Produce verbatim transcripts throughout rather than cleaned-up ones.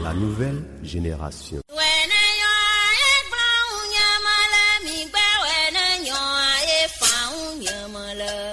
La nouvelle génération.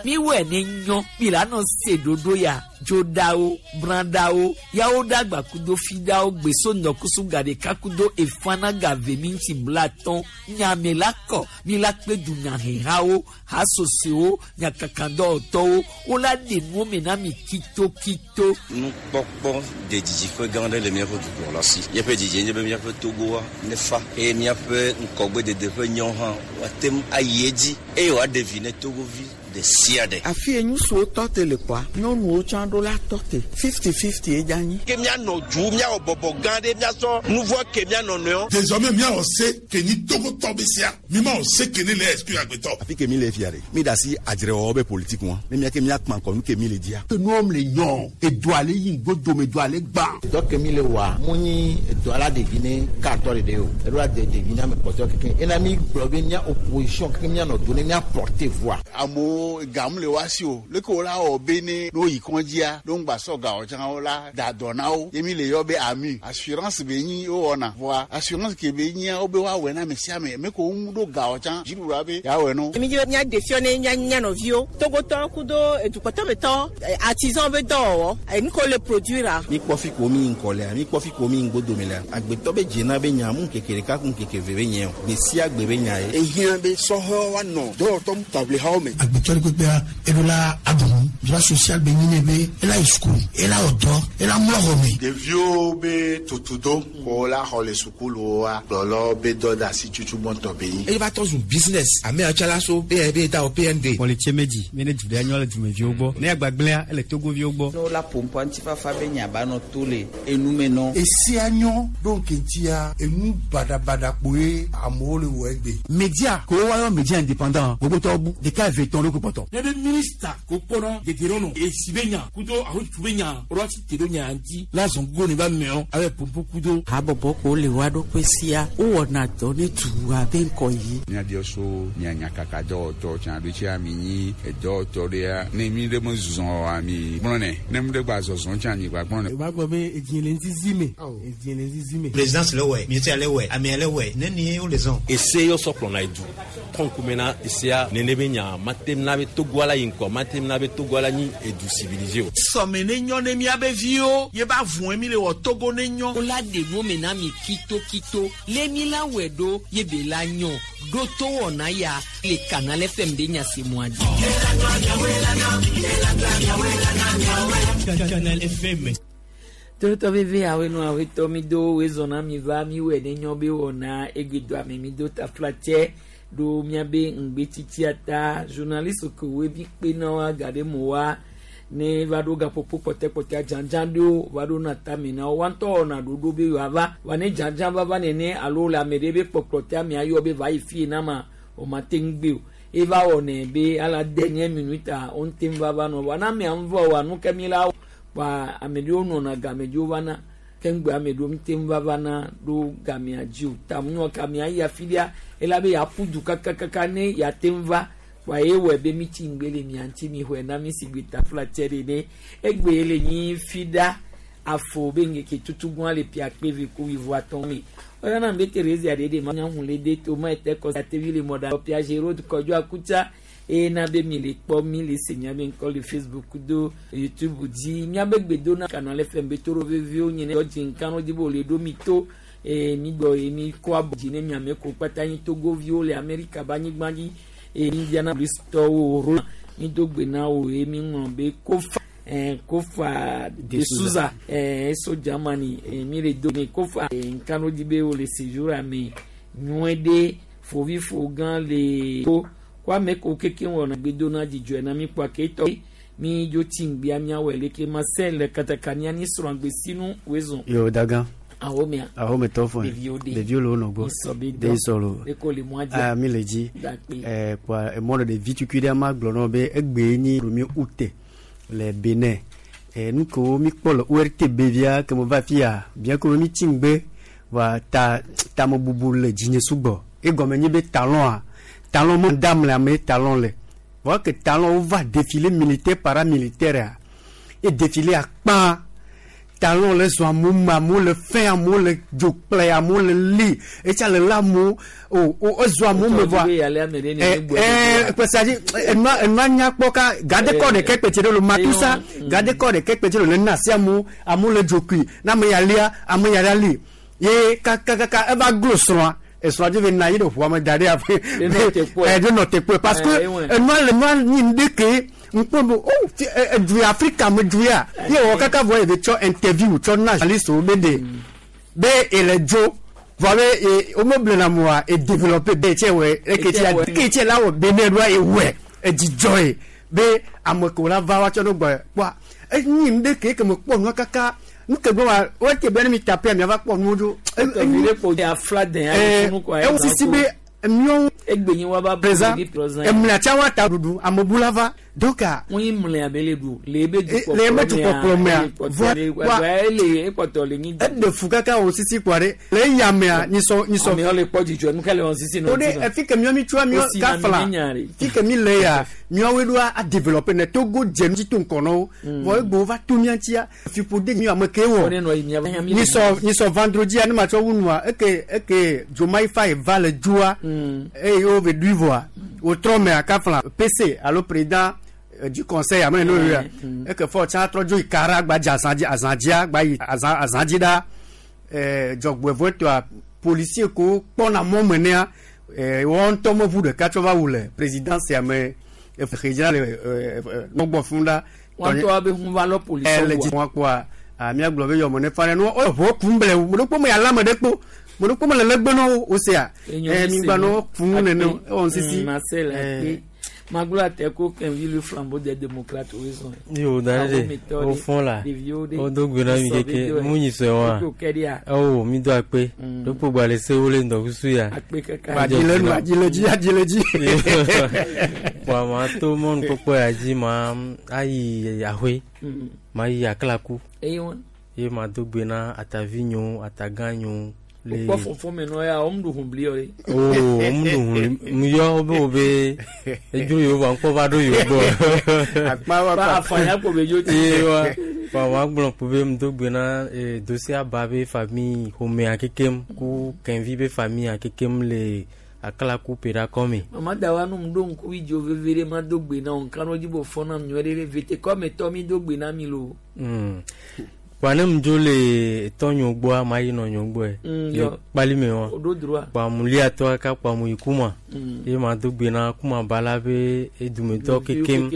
Mi wɛ ne nyɔ mi la nɔ se ɖoɖo ya dzoɖawo brãɖawo yawo ɖagba kudo fiɖawo gbeso ŋdɔkusu gaɖeka kudo efana gave mi ŋuti blatɔn nyame la kɔ mi la kpe dunyahehawo hasosewo nyakakadɔwɔtɔwo wola ɖe nuwo me na mi kitokito. Nukpɔkpɔ de didiƒe gã aɖe le míaƒe dukplɔla si. Míaƒe didie nye be míaƒe Togoa nefa eye míaƒe ŋgɔgbedede ƒe nyɔ hã woate ŋu ayi edzi eye wòaɖe vi ne Togovi ɖe sia ɖe. Afi ye ŋutsuwo tɔ te le kpɔa, nyɔnuwo tsã ɖo la tɔ te. Fifty fifty ye dza nyi. Ke míanɔ du, míawɔ bɔbɔ gã ɖe, míasɔ nu vɔ ke míanɔ nɔewo. Désormais míawɔ se ke nyi Togotɔ be sia, mi ma wɔ se ke ne le exclure agbetɔ. Afi ke mi le fia ɖe, mi da asi adzrewɔwɔ be politique ŋua, ne mía ke míakpã ŋkɔ nu ke mi le dzia. Nuwɔm le nyɔ, edoa le yi ŋgodome, edoa le gbã. Dɔ ke mi le wɔa, mu nyi edoa la ɖevi ne katɔ ɖeɖe o, eɖo la de ɖevi ne ame kpɔtɔe kekeŋ. Ena mi gblɔ be mía opposition kekeŋ míanɔ do ne mía porter voix. Amewo gamu le woa si o, leke wo la wɔ be ne ne woyi kɔndzia, ne ŋgba sɔ gawo tsã wo la da dɔ na wo. Ye mi le yɔ be ami assurance be nyi wowɔna vɔa assurance ke be nyia wo be woawɔe na ame sia ame me ko ŋu ɖo gawo tsã dziɖuɖua be yeawɔe no. Mi dzi be míaɖe fiɔ ne mía mía nɔviwo Togotɔ kudo edukpɔtɔmetɔ artisan be dɔwɔwɔ enu ko le produire. Mi kpɔ fi ko mi ŋkɔ lea, mi kpɔ fi ko mi ŋgodome lea, agbetɔ be dzena be nya mu ŋkeke ɖeka ku ŋkeke ve be nye o, gbe sia gbe be nya ye. Ehiã be sɔhɛwo woanɔ dɔwɔtɔ taʋlihawo me. Agbetɔ ɖe kpekpea eɖo la aɖu droit social be nyi ne be ela yi sukulu, ela wɔ dɔ, ela mlɔ xɔ me. Ɖeviwo be tutudo ko la xɔ le sukuluwoa, kplɔlawo be dɔ de asi tutu gbɔntɔ be nyi. Eye va tɔ zu business ame atsala so be be da o P N D. Kpɔlitse medzi mi ne du ɖe nyɔ le dumeviwo gbɔ ne agbagblẽa ele Togoviwo gbɔ. Ne wola pompo ŋutifafa be nya ba nɔ to le enume nɔ. Esia nyɔ ɖo ŋkeŋtia enu baɖabaɖa kpoe amewo le wɔ egbe. Media ko woayɔ media indépendant gbogbotɔwo bu ɖeka eve tɔn ɖo ko kpɔtɔ. Ne be minista ko kpɔnɔ dedirɔnɔ esi be nya kudo ahotu be nya ɔlɔ ti te ɖo nya ŋuti la zɔn gogo ne ba mɛɔ abe pompo kudo. Habɔbɔ ko le wa ɖokui sia wowɔna dɔ ne dua be ŋkɔ yi. Míabiɔ so mía nyakaka dɔwɔtɔ tsã ɖo tsia mi nyi edɔwɔtɔ ɖea ne mi ɖe me zɔzɔ oa mi gblɔnɛ ne mi ɖe gba zɔzɔ tsã mi gba gblɔnɛ. O b'a gbɔ be edzi le ŋzizi me edzi le ŋzizi me. Présidence le wɛ ministère le wɛ amea le wɛ ne ni wo le zɔn. Ese yɔ sɔ kplɔna edu kɔnkume na esea nene be nya matem na be Togoa la yi ŋkɔ matem na be Togoa la nyi edu civilisé o. Sɔme ne nyɔ ne miabe viwo ye ba vɔe mi le wɔ Togo ne nyɔ. Wola ɖe nuwo me na mi kitokito le mi la wɔe ɖo ye be la nyɔ ɖo to wɔna ya le Canal F M be nyasemua dzi. Canal F M. Totɔ veve awe nu awe tɔ mi do we zɔna mi va mi wɔ ne nyɔ be wɔna egbedo ame mi do taflatsɛ ɖo miabe ŋgbetsitsia ta journaliste ke woe bi kpe na wa ga ɖe mo wa ne va ɖo gaƒoƒo kpɔtɛkpɔtɛa dzadzã ɖewo va ɖo na tame na wo wa ŋutɔ wɔna ɖoɖo be yewoava wa ne dzadzã va va nene alo le ame ɖe be kpɔkplɔtɛ amea yɔ be va yi fie na ma o ma te ŋu gbe o eva wɔnɛ be ala dernière minute a wo ŋute ŋu va va nɔ wa na amea ŋu va wa nu ke mi la wa ame ɖewo nɔna game dziwo va na ke ŋgbe ame ɖewo ŋute ŋu va va na ɖo gamea dzi o ta nua gamea yi afi ɖea ela be yeaƒu du kakakaka ne yeate ŋu va wa ye wɔ be mi tsi ŋgbe le mia ŋuti mi xɔe na mi si gbe taflatsɛ ɖe ne egbe le nyi fi ɖa afɔ be ŋgeke tutugua le pia kpe ve ko wuivo atɔ̃ me ɔyɔna be Thérésia ɖe ɖe ma nya ŋu le de to ma ete kɔ atevi le mɔɖa pia Gérard Kɔdzo Akutsa eye na be mi le kpɔ mi le se miabe ŋkɔ le Facebook do YouTube dzi miabe gbedona Canal F M be to ɖo veviwo nye ne dzi ŋkanu dzi be wòle ɖo mi to eye mi gbɔ ye mi kɔ abɔ dzi ne miame ko kpata nyi Togoviwo le Amerika be anyigba dzi eye Indianapolis tɔwo ro mi do gbe na wo ye mi ŋlɔ be Kofa eh, Kofa de Souza eh, eso Germany eh, mi le do ne Kofa eh, ŋkanu dzi be wòle séjour ame nyuie ɖe fovifo gã le ko ko ame ko keke wɔna gbedona dzidzɔe na mi kpɔ aketɔ mi dzo tsi ŋgbea miawɔe leke Marcel katakania ni srɔ̃gbe sinu wezɔn. Yo dagan. Awo mea. Awo me tɔ fɔ. Ɖeviwo de. Ɖeviwo le wo nɔ gbɔ. Isɔ be dɔ. De isɔ lo. Eko le mɔa dzi. Aa mi le dzi. Dakpe. Ɛɛ kpɔa emɔ ɖe ɖevi tukui ɖe ma gblɔ nɔ be egbe nyi premier août le Benin. Ɛɛ nu kewo mi kpɔ le O R T B via ke mo va fia bien que mi tsi ŋgbe wa ta tamebubu le dzinye sugbɔ. Egɔme nye be talon a talon mo dam le ame talon le. Voa ke talon wo va défilé militaire paramilitaire a e défilé akpa. Talon le zɔn amewo me amewo le fɛn amewo le dzo kple amewo le li etsa le la amewo o o ezɔ amewo me vɔa ɛɛ pɛsɛ enua enua nyakpɔ ka gadekɔ ɖeke kpɛtse ɖe lo matusa gadekɔ ɖeke kpɛtse ɖe lo le na asi amewo amewo le dzokui na ame ya lia ame ya ɖe li ye kakakaka eva glo srɔ̃a esrɔ̃a dzi ve na yi ɖe ʋua me da ɖe afi ɛ ɖe nɔ te kpɔe parce que enua le nua nyi ŋɖe nkpɔ oh edu Afrika me du ya ye wɔ kaka vɔ ye tsɔ interview tsɔ na journaliste wo be de be ele dzo vɔ be e wo me blena moa e développer be tse wɔ eke tse eke tse la wɔ Benin ɖoa e wɔe edzidzɔ ye be ame ko la va wa tsɔ ɖo gbɔ kpɔa enyi ŋɖe ke ke me kpɔ nua kaka nu ke gbɔ wa wo te be ne mi tape mi ava kpɔ nuwo dzo. Ewu sisi be miɔwo egbenyi wa ba présent emlea wa ta ɖuɖu amebula va donc ŋun mlea be le ɖu le ebe le ebe dukɔkplɔ mea vɔ ele ekpɔtɔ le nyi eɖe fu kaka wo sisi kpɔ ɖe le eya mea nyisɔ nyisɔ amewo le kpɔ dzidzɔ nu kele wɔn sisi nɔ o de efi ke miɔ mi tsoa miɔ kafla fi ke mi le ya miɔwoe ɖoa a développer ne Togo dze nu dzi to ŋkɔ nɔwo vɔ egbewo va to mia ŋutia fiƒode mi ame ke wɔ nyisɔ nyisɔ vendredi ne ma tsɔ wu nua eke eke Diomaye Faye va le dzoa eye wo ve ɖui vɔa wotrɔ mea kafla P C alo président du conseil ame no ya eke fɔ tsa trɔ dzo yi kara gba dze azã dzi azã dzia gba yi azã azã dzi ɖa ɛɛ dzɔgbevɔtɔa policier ko kpɔna mɔ me nea ɛɛ wɔn ŋutɔ me ʋu ɖeka tsɔ va wu le président sia me exe le ɛɛ nɔgbɔ fún ɖa. Wɔn tɔ abe hun va lɔ policier wa. Ɛlɛ dzi wɔn kpɔa míagblɔ be yɔmɔ ne fa ne nu ʋɔ kum ble mo ɖo kpɔ me ala me ɖe kpo mo ɖo kpɔ me le legbe nɔ wo sea ɛɛ migba nɔ funu nene ewɔn sisi. Maglo ateko kenvi le flambeau des démocrates raison. Yo daje au fond là. O do gbena mi keke mu nyi so wa. Oh mi do akpe. Do po gba le se wo le ndo kusu ya. Akpe kaka. Ba di le nu aji le ji aji le ji. Wa ma to mon popo ya ji ma ayi ahwe. Ma yi aklaku. Eyi won. Ye ma do gbena atavinyo ataganyo. Le kpɔ fɔfɔ me nɔ ya wɔm ɖu hunbli yɔ de. Oo wɔm ɖu hunbli mu yɔ be wo be edzo yewo va ŋkpɔ va ɖo yewo gbɔ. Akpa wa pa afanya ko be dzo ti. Ye wa wa wa gblɔ ko be mu do gbe na dosia ba be famille ƒomea kekem ku kɛnvi be famille kekem le akala ku pera kɔme. Mama da wa nu mu ɖo ŋku idzo veve ɖe ma do gbe na wo nka dzi bo fɔ na mi nyuie ɖe vete kɔme tɔ mi do gbe na mi lo. Kpa mdzo le tɔnyo gbɔa ma yi nɔnyo gbɔe le kpali me wa kpa mu lia tɔ kaka kpa mu yi kuma ye ma do gbe na kuma ba la be edumetɔ kekem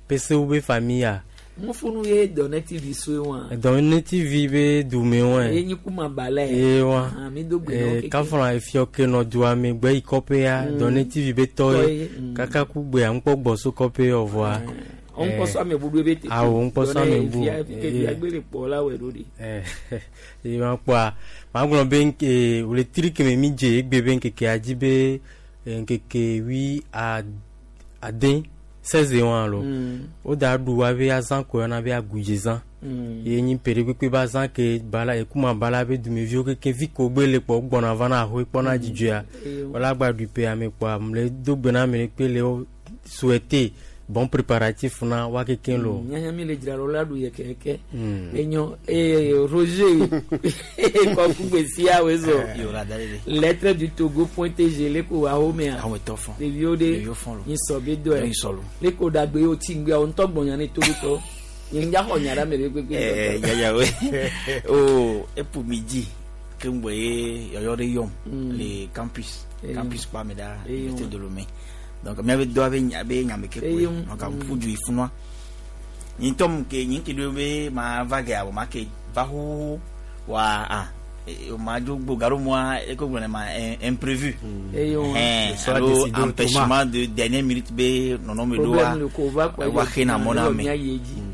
pesewo be famille. Mo funu ye Dɔnɛ T V so wa. Dɔnɛ T V be dume wa. Ye nyi kuma ba la ye. Wa mi do gbe na kekem. Kafra efiɔ ke nɔ dua me gbe yi kɔƒe ya Dɔnɛ T V be tɔ ye kaka ku gbe aŋkpɔ gbɔ so kɔƒe yɔ vɔa. Nkpɔsɔ ame bu be te. Awo nkpɔsɔ ame bu. Ee agbele kpɔ la wɛ ɖo de. Ɛɛ ee ma kpɔa ma gblɔ be nke wòletri keme mi dze egbe be nkeke adzi be nkeke wi ade seize wa lo. O da ɖu wa be azã ko yɔna be agudzezã. Ye nyi ƒe ɖe kpekpe be azã ke bala ekuma bala be dumeviwo keke vi ko gbe le kpɔ gbɔna va na ahoe kpɔna dzidzɔa. Wala gba ɖu ƒe ame kpɔa mle do gbe na ame ɖe kpe le wo souhaiter bon préparatif na wa keke lo. Nyanya mi le dzra ɖo la ɖu yɛ kɛkɛ. Enyo ee Roger kɔkugbe sia wo zɔ. Lettre du Togo point T G le ko awo mea. Ɖeviwo ɖe nyisɔ be dɔ yɛ. Le ko ɖagbe yewo ti ŋgbea wo ŋutɔ gbɔnya ne Togo tɔ. Nye ŋdza xɔ nya ɖe ame ɖe kpekpe. Ɛɛ yaya we o epu mi dzi ke ŋgbɔ ye yɔyɔ ɖe yɔm le campus campus kpa me ɖa université de Lomé. Donc miabe do abe abe nyame ke koe donc aƒu du yi funua nyi tɔ ke nyi ke do be ma va ge awɔ ma ke va xoxo wa ah ma dzo gbo garo moa eko gblɔ ne ma imprévu alo empêchement de dernière minute be nɔnɔme ɖo wa wa xe na mɔ na me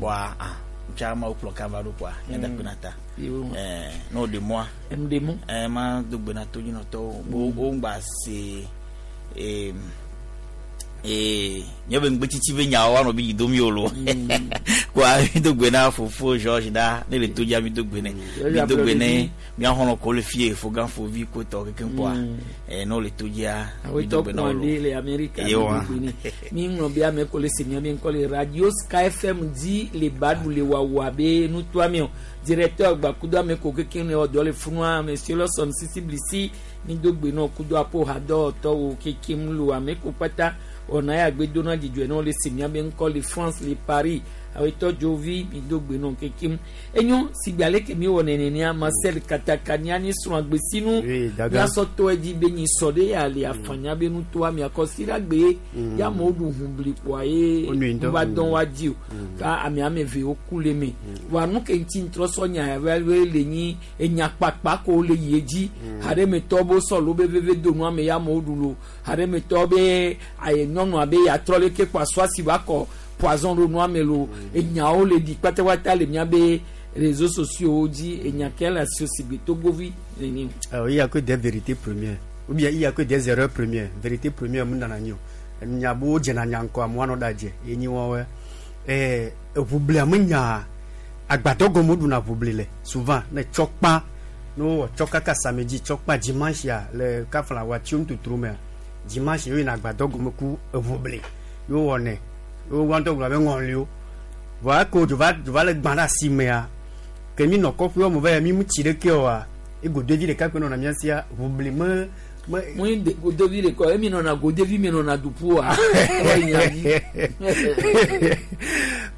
wa ah tsa ma wo kplɔ kava ɖo kɔa nyada kpe na ta ɛɛ n'o de moa ɛɛ ma do gbe na to dzinɔtɔwo bo wo ŋgba se ee. Ee nye be ŋgbetsitsi be nyawo wanɔ be yi domi o lo kɔa mi do gbe na fofo George da ne le to dzia mi do gbe ne mi do gbe ne mia xɔlɔ ko le fie fogan fovi ko tɔ kekem kɔa ɛɛ n'o le to dzia mi do gbe na wo lo ye wa mi ŋlɔ be ame ko le se mia mi ŋkɔ le radio Sky F M di le baɖu le wawa be nutoa mi o Directeur gbakudo ame ko keke ne wɔ dɔ le funua monsieur Lawson Sisi Blisi mi do gbe nɔ kudo apo hadɔ tɔwo keke mu lo ame ko kpata ɔna ya gbe do na dzidzɔe na le si miabe ŋkɔ le France le Paris awetɔ dzovi mi do gbe nɔ keke mu enyo sigbe ale ke mi wɔ nenenea Marcel Katakania ni srɔ̃ agbesinu miasɔ tɔ edzi be nyi sɔ ɖe ya le afanya be nutoa miakɔ si ɖe agbe ya amewo ɖu ʋu kpoa ye va dɔn wa dzi o ka ame ame eve wo ku le me wa nu ke ŋuti ŋtrɔ sɔ nya ya le nyi enya kpakpa ko le yi edzi haɖemetɔ bo sɔ lo be veve do nua me ya amewo ɖu lo haɖemetɔ be aye nyɔnua be yatrɔ leke kpo asɔ asi va kɔ poison ɖo nua me lo enyawo le ɖi kpatakpata le miabe réseaux sociaux dzi enya ke le asi sigbe togovi nene. Alors il y a que des vérités premières ou bien il y a que des erreurs premières. Vérité première mun nana nyi o nyabo dzena nyankɔ amewo anɔ ɖa dze ye nyi wɔwɔ ɛɛ eʋuble ame nya agbadɔ gɔme ɖuna ʋuble le souvent ne tsɔ kpa ne wowɔ tsɔ kaka samedi tsɔ kpa dimanche ya le kafla watiwo ŋututru mea dimanche yina agbadɔ gɔme ku eʋuble yewo wɔnɛ yewo wɔntɔ gblɔ be ŋɔliwo vɔa eko dzo va dzo va le gbã ɖe asi mea ke mi nɔ kɔƒe wɔme va ya mi mu tsi ɖeke oa egodovi ɖeka kpe nɔna mía sia ʋuble me. Moi de godevi le ko emi nona godevi mi nona dupua.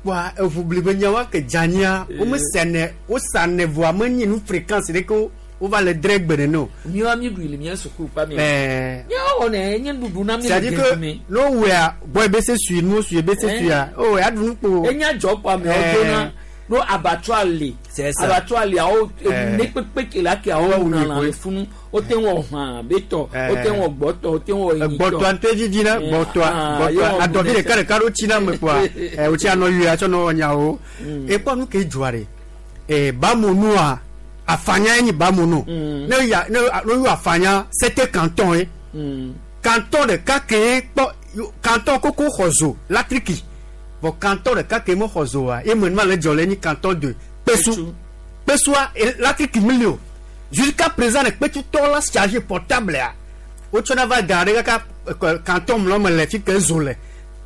Wa eʋuble be nyawa ke dzania wo me sene wo sane voa me nyi nu fréquence ɖe ko wo va le dre gbe nene o. Mi wa mi ɖui le mía suku pa mi. Ɛɛ. Míawo wɔnɛ nye nuɖuɖu na mi le C'est-à-dire que ne wowɔa gbɔ ebe se sui nu sui ebe se suia o ya ɖu nu kpo. Enya dzɔ kpo amewo dona no abattoir le. Abattoir le awo ne kpekpe ke la ke awo wuna lã le funu o te wɔ hã betɔ o te wɔ gbɔtɔ o te wɔ enyitɔ. Gbɔtɔa ŋutɔ didi na gbɔtɔa gbɔtɔa adɔvi ɖeka ɖeka ɖo tsi na me kpoa ɛ o tsi anɔ yue atsɔ nɔ nyawo ekpɔ nu ke dzɔa ɖe ɛ bamonua afanya ye nyi bamonu ne ya ne ne yɔ afanya sept canton ye canton ɖeka ke kpɔ canton koko xɔ zo latriki bon canton ɖeka ke me xɔ zoa ye me nua le dzɔ le nyi canton de Kpesu Kpesua latriki mi li o jusqu'à présent ne kpetsutɔ la chargé portable ya wotsɔna va da ɖe kaka canton mlɔ me le fi ke zo le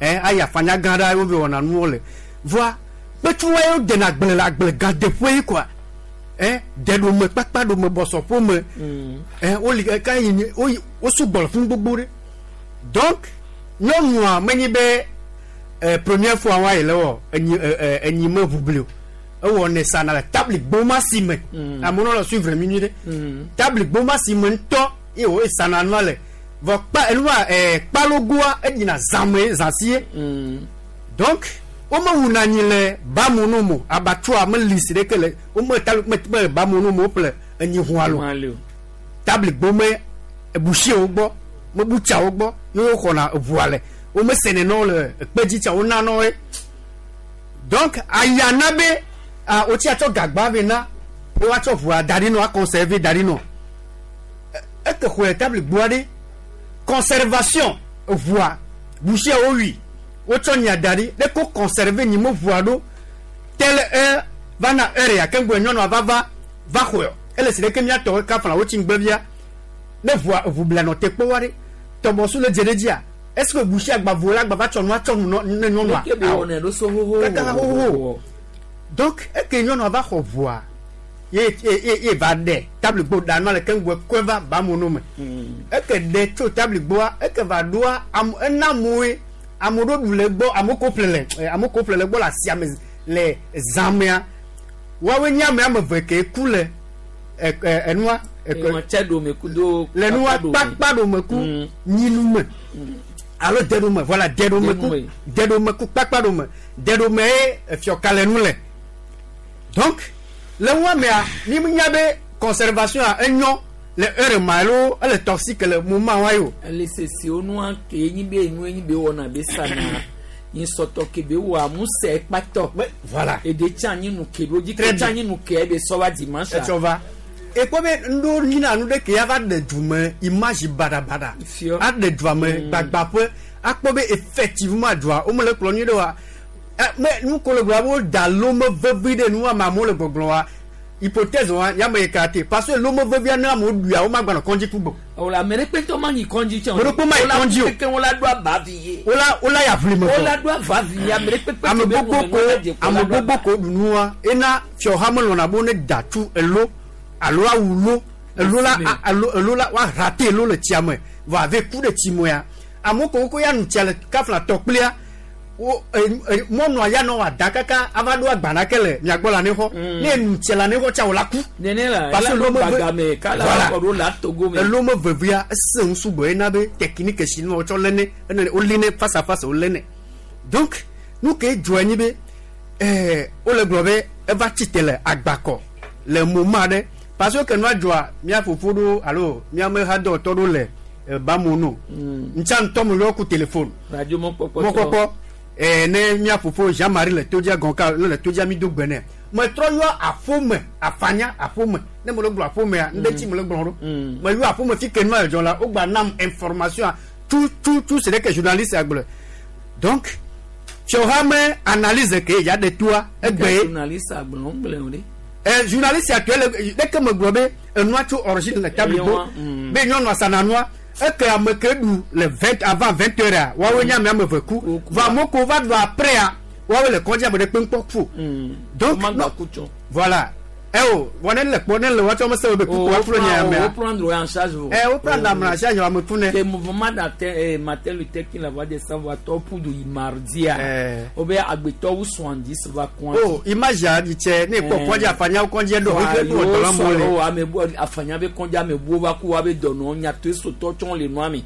ɛ ayi afanya gã ɖe wo be wɔna nuwo le voa kpetsuwa yewo dena agble le agble gã deƒe yi kɔa ɛ deɖome kpakpaɖome bɔsɔƒome ɛ woli ka yi wo wo sugbɔ le fún gbogbo ɖe donc nyɔnua menyi be ɛ première fois wa yi le wɔ enyi ɛ enyi me ʋuble o ewɔ ne sana le table gboma si me amewo nɔ le suivre mi nyuie ɖe table gboma si me ŋutɔ ye wo esana nua le vɔ kpa enua ɛ kpalogoa enyina zãme zãsie donc womewuna anyi le bamunu mo abattoir me li si ɖeke le wome ta me me bamunu mo woƒle enyi hũa lo table gbome ebusiwo gbɔ mebutsawo gbɔ ye woxɔna eʋua le wome sene nɔ le ekpedzi tsa wona nɔ ye donc ayana be a wotsi atsɔ gagba vɛ na be woatsɔ ʋua da ɖi nɔ aconserver da ɖi nɔ eke xɔe table gboa ɖe conservation ʋua busiawo wui wotsɔ nya da ɖi ɖe ko conserver nyi me ʋua ɖo tel heure va na heure ya keŋgbe nyɔnua va va va xɔe ele si ɖeke miatɔ kafla wotsi ŋgbevia ne ʋua ʋu nɔ te kpɔ wa ɖe tɔbɔsu le dze ɖe dzia est-ce que busia gbavo la gbava tsɔ nua tsɔ nu ne nyɔnua kaka xoxo donc eke nyɔnua va xɔ ʋua ye ye ye va ɖe table gbo ɖa nua le keŋgbe kɔe va bamono me eke ɖe tso table gboa eke va ɖoa am ena amewoe ame ɖewo ɖu le gbɔ amewo ko ƒle le amewo ko ƒle le gbɔ le asia me le zãmea woawoe nye ame ame eve ke ku le ɛ ɛ enua le nua kpakpaɖome ku nyinume alo deɖome voilà deɖome ku deɖome ku kpakpaɖome deɖome ye efiɔkalenu le donc le ŋua mea mi nya be conservation a enyo le heure ma alo ele toxique le moment wa yo. Ele sesi onua ke enyi be enu enyi be wɔna be sana nyi sɔtɔ ke be wɔ amuse kpatɔ. Voilà. Ede tsa nyi nu ke ɖo dzi ke tsa nyi nu ke ebe sɔ va dimanche. Etsɔ va. Ekpɔ be ŋɖo nyina nu ɖe ke ya va ɖe dume image baɖabaɖa. Aɖe dua me gbagbaƒe akpɔ be effectivement dua wome le kplɔ nyuie ɖe wa. Me nu ko le gblɔ wo da lome vevi ɖe nua ma amewo le gbɔgblɔ wa. Hypothèse wa ya me écarté parce que l'homme veut bien na mo du a o ma gba no konji kugbo. O la mere pe to ma yi konji chen. Mo ko ma yi konji o. Ke won la do aba vi ye. O la o la ya vle mo. O la do ava vi ye mere pe pe. Ame gbogbo ko ame gbogbo ko dunu wa ena fio ha mo lona bo ne datu elo alo awulo elo la alo elo la wa rater elo le tiame va avec coup de timoya. Amo ko ko ya nu tia le kafla tokplia. O mɔnua ya nɔ wa da kaka ava ɖo agbana ke le miagbɔ le anixɔ ne enu tse le anixɔ tsa o la ku. Nene la parce que ela gbagame kala voilà kɔ ɖo la togo me. Elo me vevia ese ŋu sugbɔ yina be technique si nu wotsɔ lé ne ene wolé ne face à face wolé ne donc nu ke dzɔ anyi be ɛɛ wole gblɔ be eva tsi te le agbakɔ le moment aɖe parce que ke nua dzɔa mía fofo ɖo alo mía mehadɔtɔ ɖo le bamono ntsa ŋutɔ me yɔ ku téléphone. Radio mɔkpɔkpɔ. Mɔkpɔkpɔ. Eh, ne mía fofo Jean-Marie le todzia gɔnka ne le todzia mi do gbe nɛ metrɔ yɔ aƒome afanya aƒome ne me le gblɔ aƒomea ŋɖe tsi me le gblɔ ɖo me yɔ aƒome fi ke nua dzɔ la wogba nam information tu tu tu c'est que journaliste agblɔ donc fiɔha me analyse ke ya ɖe toa egbe ye journaliste agblɔ ŋgblẽ o ɖe. Eh, journaliste actuel ɖeke me gblɔ be enua tso origine le table gbɔ be nyɔnua sananua. Eke ame ke ɖu le vingt avant vingt heures woawoe nye ame ame eve ku va amewo ko va ɖu après a woawoe le kɔdzi ame ɖe kpe ŋkpɔ ku donc voilà eh o wɔ ne le kpɔ ne le woatsɔ mese wo be kuku woaflo nye amea wo prendre en charge eh wo prendre ame en charge ame ku ne le mouvement d'atteint Martin Luther King la voix des sans voix tɔ pour du mardi a o be agbetɔwo soixante-dix va kɔn oh image a di tse ne kpɔ kɔdzi afanya kɔdzi ɖo wo ke ɖo la mo le o ame bu afanya be kɔdzi ame bu va ku wa be dɔnɔ nyatoe sotɔ tsɔn le nua me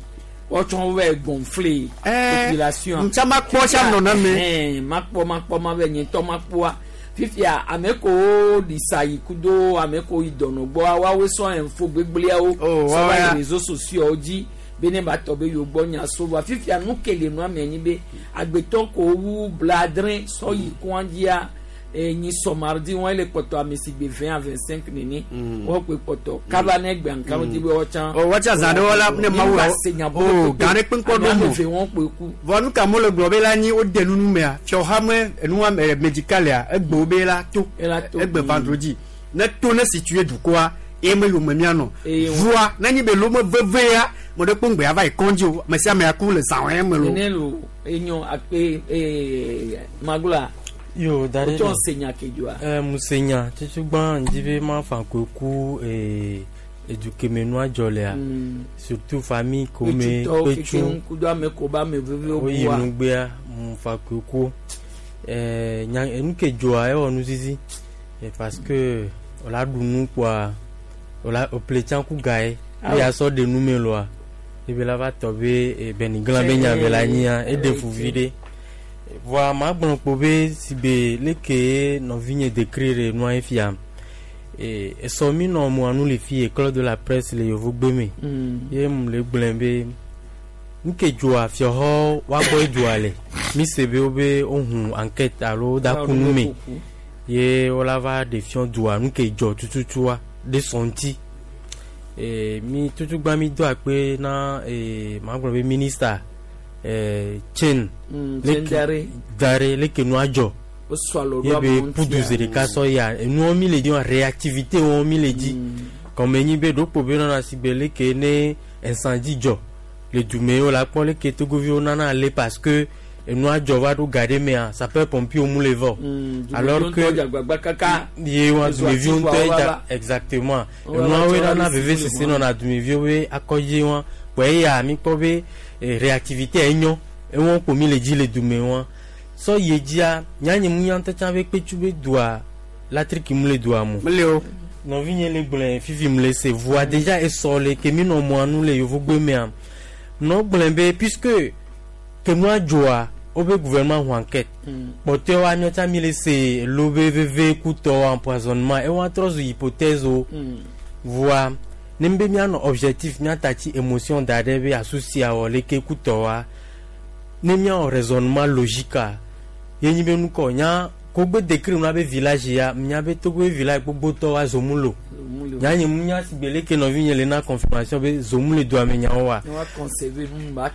wɔtsɔn wɛ gonflé population ntsa ma kpɔ tsa nɔ na me eh ma kpɔ ma kpɔ ma bɛ nye tɔ ma kpɔa fifia ame ko disa yi kudo ame ko yi dɔnɔ gbɔ woawoe sɔ info gbegblẽawo sɔ va yi réseaux sociaux dzi be ne ba tɔ be yewo gbɔ nya so va fifia nu ke le nua me nyi be agbetɔ ko wu bladrẽ sɔ yi kɔa dzia enyi sɔ mardi wɔn le kpɔtɔ ame si gbe vingt à vingt cinq nene wɔn kpe kpɔtɔ kaba ne gbe nka di be wɔtsã. o wɔtsã zã ɖe wɔla ne mawu la o gã ɖe kpe ŋkɔ ɖo mo ame wɔn kpe ku. vɔ nu ka mo le gblɔ be la nyi wo de nunu mea fiɔha me enua médical ya egbe wo be la to egbe vendredi ne to ne situé dukɔa eye me yome mianɔ voa ne nyi be lome veve ya mo ɖe kpe ŋgbe ava yi kɔndzi o ame sia ame aku le zã wɔe me lo. nene lo enyo akpe ee magula. Yo, dare. O senya kejua. Eh, musenya, tutu gba ndibe ma fa koku eh éduquer me noa jolea. Surtout famille comme pechu. Kudo ame ko ba me veve o bua. Oyi nugbea mu fa koku. Eh nya enu kejoa e onu zizi. Parce que on la dunu quoi. On la o pletien ku gae. E ya so de nu me loa. E be la va tobe e beniglan be nya be la nya e de fuvide. Voa ma gblɔ kpo be si be leke nɔvinye décrire nua fia e esɔ mi nɔ mo anu le fi école de la presse le yovogbe me ye mu le gblẽ be nuke dzoa fiɔxɔ woagbɔ dzoa le mi se be wo be wohu enquête alo da ku nu me ye wola va ɖe fiɔ dzoa nuke dzɔ tututua ɖe sɔ ŋuti e mi tutugba mi do akpe na e ma gblɔ be ministre Eh, chain mm, dare leke nua dzɔ ye be pudu zi ɖeka sɔ ya enuwo mi le di wa réactivité wɔn mi le di kɔme nyi be ɖokpo be nɔna si be leke ne incendie dzɔ le dume wo la kpɔ leke togoviwo nana ale parce que enua dzɔ va ɖo ga ɖe mea sapeur pompier mu le vɔ alors que ye wa dumeviwo ŋutɔ dza exactement enuawoe nana veve sese nɔna dumeviwo be akɔdzi wa kpɔ eya mi kpɔ be réactivité enyo ewon ko mi le dzi le dume wa sɔ ye dzia nyanye mu nya ŋutɔ be kpetsu be doa latriki mu le doa mo nɔvinye le gblẽ fifi mu le se voa déjà esɔ le ke mi nɔ mɔa nu le yovogbe mea nɔ gblẽ be puisque ke nua dzoa wobe gouvernement hu enquête kpɔtɔe wa miɔtsa mi le se lo be veve kutɔ empoisonnement ewa trɔ zu hypothèse o voa ne be mianɔ objectif miatati émotion da ɖe be asusia wɔ leke kutɔ wa ne miawɔ raisonnement logique a ye nyi be nukɔ nya kogbe décrire nua be village ya mia be togo be village gbogbotɔ wa zomu lo nya nye mu nya sigbe leke nɔvi nye le na confirmation be zomu le doa me nyawo wa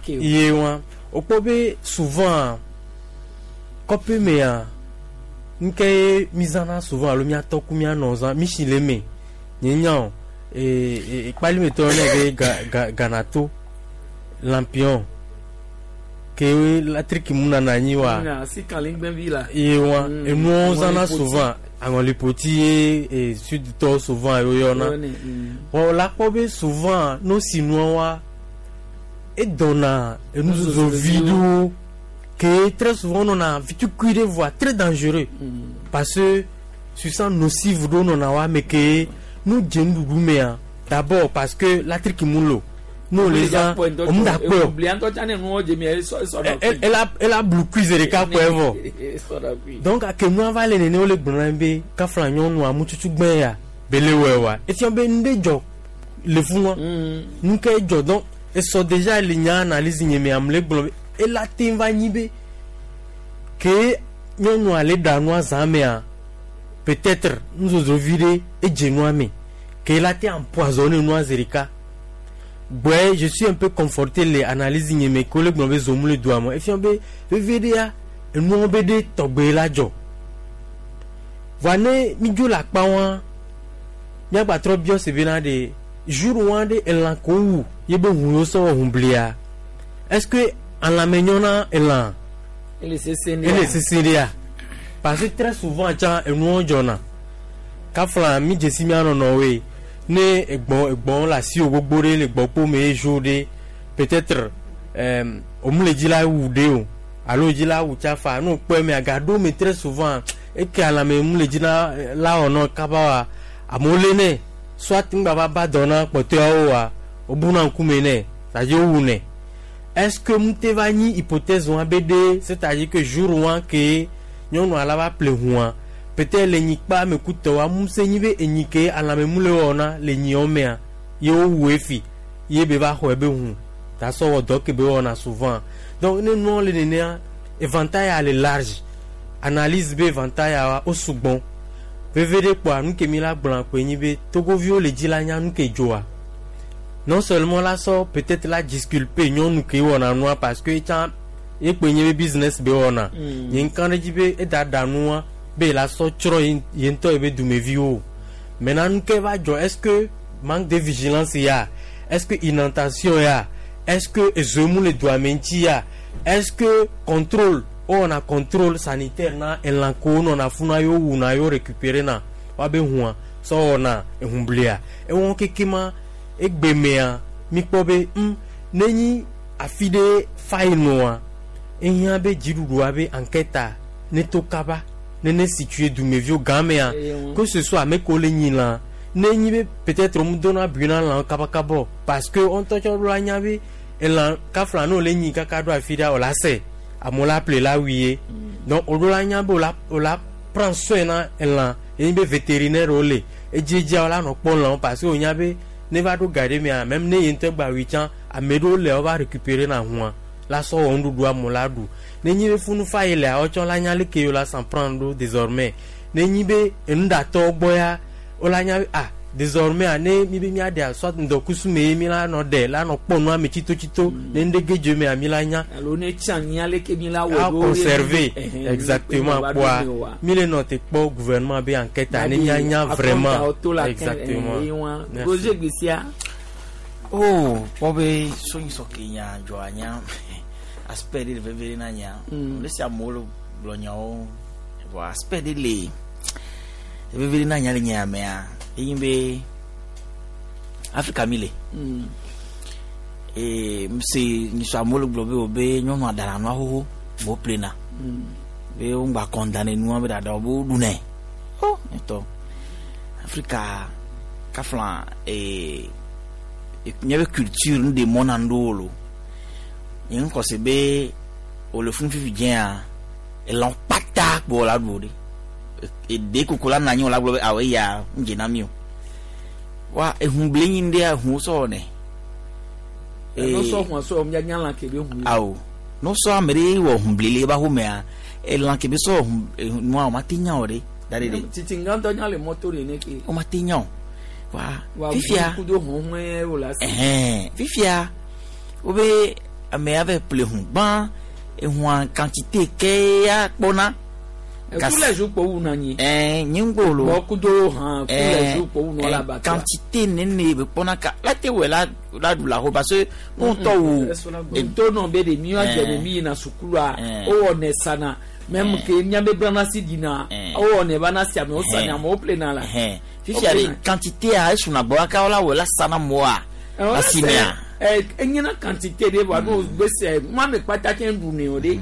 ye wa wokpɔ be souvent kɔƒe mea Nke mi zãna souvent alo miatɔ ku mianɔ zã mi si le me nye nya o ee ekpalimetɔ ne be ga ga ganato lampion ke latriki mu nana anyi wa ye wa enuwo zãna souvent aŋɔlipoti ye e sudtɔ souvent yewo yɔna wɔ la kpɔ be souvent no si nua wa edɔna enuzozo vi ɖewo que très souvent on a vitukui de voix très dangereux mm. Parce que substance nocive ɖewo nɔna wa me ke nu dze nuɖuɖu mea d'abord parce que latriki mu lo nous les gens on mu da kpɔ ela ela blukui zi ɖeka kpɔe vɔ donc ake nua va le nene wole gblɔ na be kafla nyɔnua mututu gbɛ ya bele wɔe wa efia be nu ɖe dzɔ le funua nu ke dzɔ donc esɔ déjà le nya analyse nye me ame le gblɔ be ela te va nyi be ke nyɔnua le ɖa nua zã mea peut-être nuzozo vi ɖe edze nua me ke ela te empoisonné nua zi ɖeka. Ouais, je suis un peu conforté les analyses nye me ko le gblɔ be zomu le doa me efia be veve ɖea enuawo be ɖe tɔgbe la dzɔ voa ne mi dzo le akpa wa miagbatrɔ biɔ se bena ɖe jour wa ɖe elã ko wu ye be ʋu yiwo sɔ wɔ ʋublia est-ce que alãme nyɔ na elã ele sese ɖea parce que très souvent tsã enuawo dzɔna kafla mi dzesi mia nɔnɔwoe ne egbɔ egbɔ le asi wo gbogbo ɖe le gbɔkpo me ye jour ɖe peut-être euh, omu le dzi la wu ɖe o alo dzi la wu tsafa ne wokpɔe mea gaɖo me très souvent eke alãme mu le dzi la la wɔnɔ kaba wa amewo lé nɛ soit ŋgba va ba dɔ na kpɔtɔeawo wa wobuna ŋkume nɛ c'est-à-dire wowu nɛ est-ce que mu te va nyi hypothèse wa be ɖe c'est-à-dire que jour wa ke nyɔnua la va ple ʋua peut-être le nyikpa me kutɔ wa mu se nyi be enyi ke alãme mu le wɔna le nyiɔ mea ye wowu efi ye be va xɔe be ʋu ta sɔ wɔ dɔ ke be wɔna souvent donc ne nua le nenea éventail ya le large analyse be éventail ya wa wo sugbɔn veve ɖe kpɔa nu ke mi la gblɔna koe nyi be togoviwo le dzi la nya nu ke dzoa non seulement la sɔ peut-être la disculper nyɔnu ke wɔna nua parce que etsã ye kpoe nye be business be wɔna nye ŋka ɖe dzi be eda ɖa nua be la sɔ tsrɔ̃ ye ŋutɔ ye be dumeviwo maintenant nu ke va dzɔ est-ce que manque de vigilance ya est-ce que inondation ya est-ce que ezomu le doa me ŋuti ya est-ce que contrôle wowɔna contrôle sanitaire na elã kewo nɔna funa yewo wuna yewo récupérer na woabe hũa sɔ wɔna ehumblia ewɔ keke ma egbemea mi kpɔ be ŋ nenyi afi ɖe fa yi nɔa ehiã be dziɖuɖua be enquête ne to kaba nene situé dumeviwo gãmea que ce soit ame kewo le nyi lã ne nyi be peut-être mu dona bui na lãwo kabakaba parce que wo ŋutɔ tsɔ ɖo la nya be elã kafla ne wòle nyi kaka ɖo afi ɖea wòla se amewo la ple la wui ye donc woɖo la nya be wòla wòla prendre soin na elã ye nyi be vétérinaire wo le edziedzia wola nɔ kpɔ lãwo parce que wonya be ne va ɖo ga ɖe mea même ne ye ŋutɔ gba wui tsã ame ɖewo le wova récupérer na hũa la sɔ wɔ nuɖuɖu amewo la ɖu ne nyi be funu fa yi lea wotsɔ la nya leke yewo la s'en prendre ɖo désormais ne nyi be enuɖatɔwo gbɔ ya wola nya be ah désormais a ne mi be miaɖea soit ŋdɔkusu me ye mi la nɔ ɖe la nɔ kpɔ nua me tsitotsito ne ŋɖe ge dzo mea mi la nya alo ne tsi anyi aleke mi la wɔ a ɖo conserver exactement kpoa mi le nɔ te kpɔ gouvernement be enquête ne mia nya vraiment exactement Roger Gbessia oh kpɔ be sonyisɔ ke nya dzɔ anya aspect ɖe le veve ɖe na nya le si amewo le gblɔ nyawo vɔ aspect ɖe le veve ɖe na nya le nya mea enyi be Afrika mi le ee mse nyisɔ amewo le gblɔ be o be nyɔnua ɖana nua xoxo mo plena be wo ŋgba condamné nua be ɖaɖa wo be wo ɖunɛ o ŋutɔ Afrika kafla ee míaƒe culture nu ɖe mɔ na ŋɖewo lo nye ŋkɔ se be wòle fún fifi dzɛa elã kpata kpo la ɖu o ɖe eɖe koko la nɔ anyi wòla gblɔ be awɔ eya ŋdze na mi o wa ehun ble nyi ŋɖea ehun sɔ wɔnɛ. n'osɔ hun sɔ mia nya lã kebe hun. Awo n'osɔ ame ɖe wɔ hun ble le eba xɔmea elã kebe sɔ hun nua o ma te nya o ɖe da ɖe ɖe. Titi ŋgãtɔ nya le mɔto ɖe ne ke. O ma te nya o wa fifia kudo hun hun wo la se. Ɛhɛn fifia wo be ame ya va ƒle hun gbã ehua quantité ke ya kpɔna Tous les jours kpo wuna nyi. Ɛɛ nye ŋgbɔ lo. Bɔn kudo han tous les jours kpo wuna la ba. Quantité nene be kpɔna ka la te wɛ la la du la ho parce que n'o tɔ wo. To nɔ be de mi wa jɛ mi yina sukulu a o wɔ ne sana même que miabe brana si dina o wɔ ne ba na si ame o sani ame o ple na la. Fifia de quantité a esuna gbɔ aka la wɔ la sana mɔa la si mea. Ɛ enyina quantité de wa n'o gbèsè ŋma mi kpata tɛ du ne o de.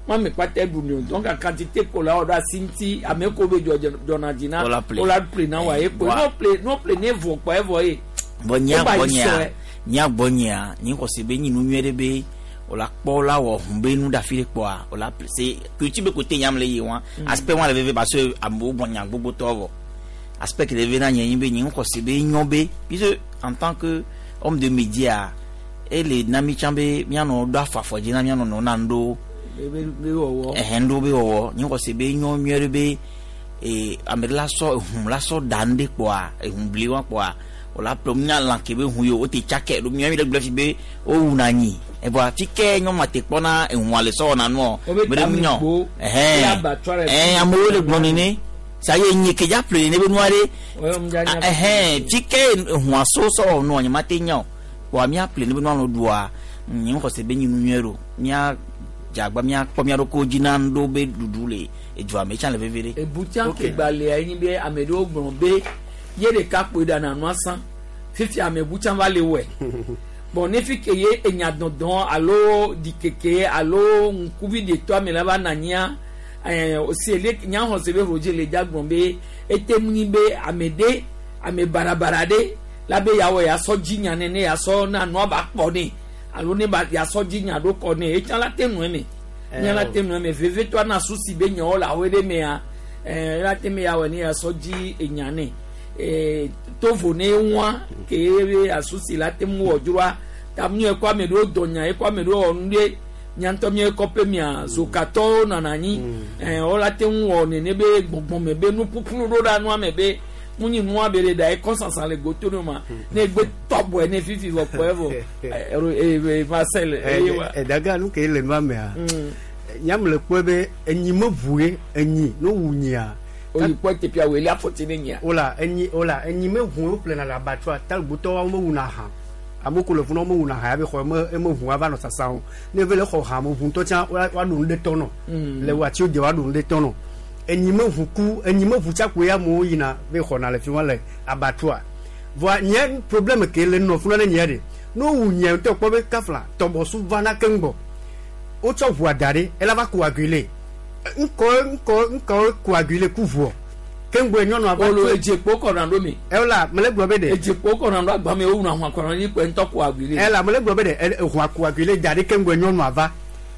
Moi, je pas tête donc la quantité qu'on a on sinti ame ko be jona dina o la ple na wa e po no ple no ple ne vo pa e vo e bon nya bon nya nya bon nya ni ko se be ni nu nyere be o la po la wo humbe nu da file po a o la ple c'est culture be côté nyam le yi won aspect won le veve parce que ambo bon nya gbogbo to vo aspect que le ve na nyen be ni ko se be nyon be puisque en tant que homme de média et les nami chambe mi ano do afafo je na mi ano no na ndo ɛhɛn ɖo be wɔwɔ nye xɔse be nyɔ nyuie ɖe be ee ame ɖe la sɔ ehun la sɔ da nu ɖe kpɔa ehun bli wa kpɔa o la ƒle nya lã ke be hun yi o te tsakɛ ɖo miɔ mi ɖe gblɔ fi be o wuna anyi evɔa fi ke nyɔnua te kpɔna ehun le sɔ wɔna nuɔ be ɖe nyɔ ɛhɛn ɛhɛn amewo le gblɔ nene sa ye nye ke dza ƒle nene be nua ɖe ɛhɛn fi ke ehun so sɔ wɔ nua nye ma te nya o kpɔa mia ƒle nene be nua nɔ ɖua nye xɔse be nyi nu nyuie ɖo mia jagba mia kpɔ mia ɖoko dzi na ŋɖo be ɖuɖu le edua me tsã le veve ɖe. Ebutia ke gbalẽa ye nyi be ame ɖewo gblɔ be ye ɖeka kpoe ɖana nua sã fifi ame butia va le wɔe bon ne fi ke ye enya dɔdɔn alo ɖikeke alo ŋkuvi ɖetɔ ame la va na nyia ɛɛ osi ele nyaxɔ se be rodze le dza gblɔ be ete mu nyi be ame ɖe ame barabara ɖe la be yawɔ yasɔ dzi nya nene yasɔ na nua ba kpɔ ne. Alo ne ba yasɔ dzi nya ɖo kɔ ne etsã la te nɔe me nya la te nɔe me veve to ana susi be nyawo le awo ɖe mea ɛɛ la te me yawɔ ne yasɔ dzi enya ne ɛɛ tovo ne ŋua ke ye asusi la te mu wɔ dzroa ta mu ekɔ ame ɖewo dɔ nya ekɔ ame ɖewo wɔ nu ɖe nya ŋutɔ mi ekɔ pe mia zokatɔwo nana anyi ɛɛ wo la te ŋu wɔ nene be gbɔgbɔme be nuƒuƒlu ɖo ɖa nua me be munyi nua be le da ye kɔsansan le goto ne ma ne gbe tɔbɔe ne fifi vɔ kpɔe vɔ ɛ Marcel eye wa. Ɛ daga nu ke le nua mea nyam le kpɔe be enyi me ʋu ye enyi no wu nyia. Oyi kpɔ teƒea wòle afɔti ne nyia. Ola enyi ola enyi me ʋu wo ƒlena le abatsɔa talibutɔwo wo me wuna hã amewo ko le funu wo me wuna hã ya be xɔ eme eme ʋu ava nɔ sasa o ne ve le xɔ hã me ʋu ŋutɔ tsã wa ɖu nu ɖe tɔ nɔ le watiwo de wa ɖu nu ɖe tɔ nɔ. Enyi me ʋu ku enyi me ʋu tsakpo ya amewo yina ve xɔna le fi ma le abattoir voa nye problème ke le nɔ funa ne nyia ɖe ne wowu nyia ŋutɔ kpɔ be kafla tɔbɔsu vana keŋ gbɔ wotsɔ ʋua da ɖe ela va coaguler ŋkɔ ŋkɔ ŋkɔ coaguler ku ʋuɔ keŋ gbɔ nyɔnua va. Olo edzekpo kɔna ɖo mi. Ela mele gblɔ be ɖe. Edzekpo kɔna ɖo agbame wowuna hɔn kɔna ɖi kpe ŋutɔ coaguler. Ela mele gblɔ be ɖe ʋua coaguler da ɖe keŋ gbɔ nyɔnua va.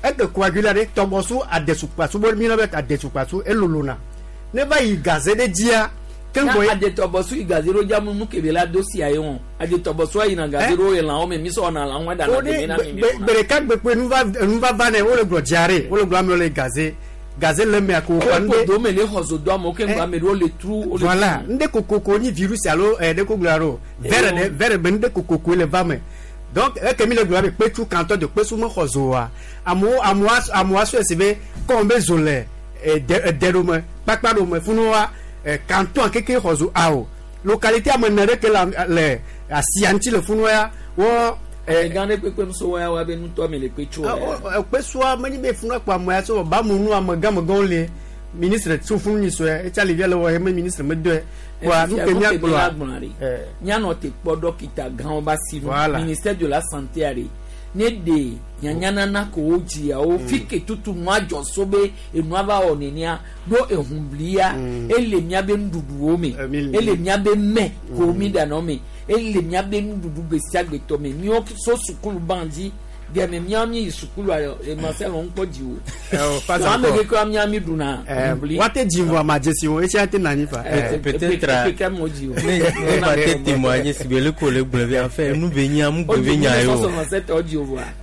Eke coagula ɖe tɔbɔsu adesukpasu bo mi na be adesukpasu elolona ne va yi gaze ɖe dzia keŋgbɔ ye. Adetɔbɔsu yi gaze ɖo dza nu kebe la do sia ye wɔn adetɔbɔsu yina gaze ɖo elãwo me mi sɔ na lãwo ɖana deme na mi mi. Gbe ɖeka gbekpe nuva nuva ne wole gblɔ diare wole gblɔ amewo le gaze gaze le mea ko kɔ nu de. Dome le xɔ zo do amewo keŋgbɔ ame ɖewo le tru. Voilà ŋɖe kokoko nyi virus alo ɛ ɖe ko gblɔ alo verre ɖe verre be ŋɖe kokoko le va me. Donc eke mi le gblɔ be kpetsu kantɔ de kpesu me xɔ zo wa amewo amewo amewo asɔe si be kɔn be zo le ɛdɛ ɛdɛ ɖo me kpakpa ɖo me funu wa ɛ kantɔn keke xɔ zo awo localité ame ene ɖe ke le le asia ŋuti le funu ya wɔ. Ɛ gã ɖe kpekpe so wa wa be nutɔ me le kpetsu wa. Kpesua menye be funu kpɔ ame ya so ba mu nu ame gãmegãwo le ministre tso funu nyi sɔe etsa le via le wɔ ye me ministre me dɔe. Wa nu ke mia gblɔa mianɔ te kpɔ dɔkita gãwo ba si nu ministère de la santé are ne de nyanyanana ko wo dziawo fi ke tutu nua dzɔ so be enua va wɔ nenea ɖo ehunblia ele miabe nuɖuɖuwo me ele miabe mɛ ko mi ɖanɔ me ele miabe nuɖuɖu gbe sia gbe tɔ me miwo so sukulu ban dzi gɛmɛ miawo mi yi sukulu ayɔ emasɛ lɔ ŋkpɔ dzi o ame keke mia mi ɖuna hunbli. Wate dzi vɔ ama dzesi wo etsi ate nani fa. Peut-être ne ne ba te témoigner si be le ko le gblɔ bi en fait nu be nya mu gbe be nya ye o.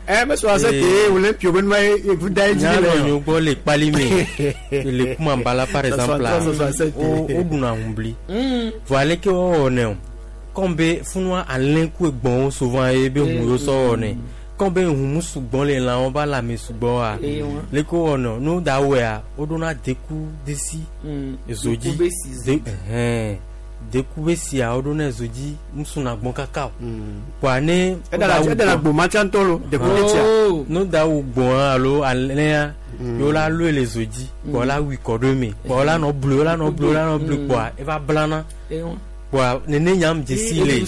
Ɛ mɛ sɔ se te o le pio be nua ye evu da ye dzi le. Nya nɔ gbɔ le kpali me le kumambala par exemple la o o ɖuna hunbli. Vɔ aleke wɔwɔ nɛ o comme be funua alẽ ku egbɔ̃wo souvent ye be hu yewo sɔ wɔ nɛ. Kɔn be humu sugbɔ le lãwo ba lãme sugbɔ wa leke wowɔnɔ ne woda wɔea woɖona deku desi zodzi de ɛhɛn deku be sia woɖona zodzi musuna gbɔn kaka o kpoa ne edana gboma tsã ŋutɔ lo deku desia ne woda wɔ gbɔn alo alẽa ye wola lɔe le zodzi kpoa wola wui kɔ ɖo eme kpoa wola nɔ blu wola nɔ blu wola nɔ blu kpoa eva blana. Wa nene nyam dzesi le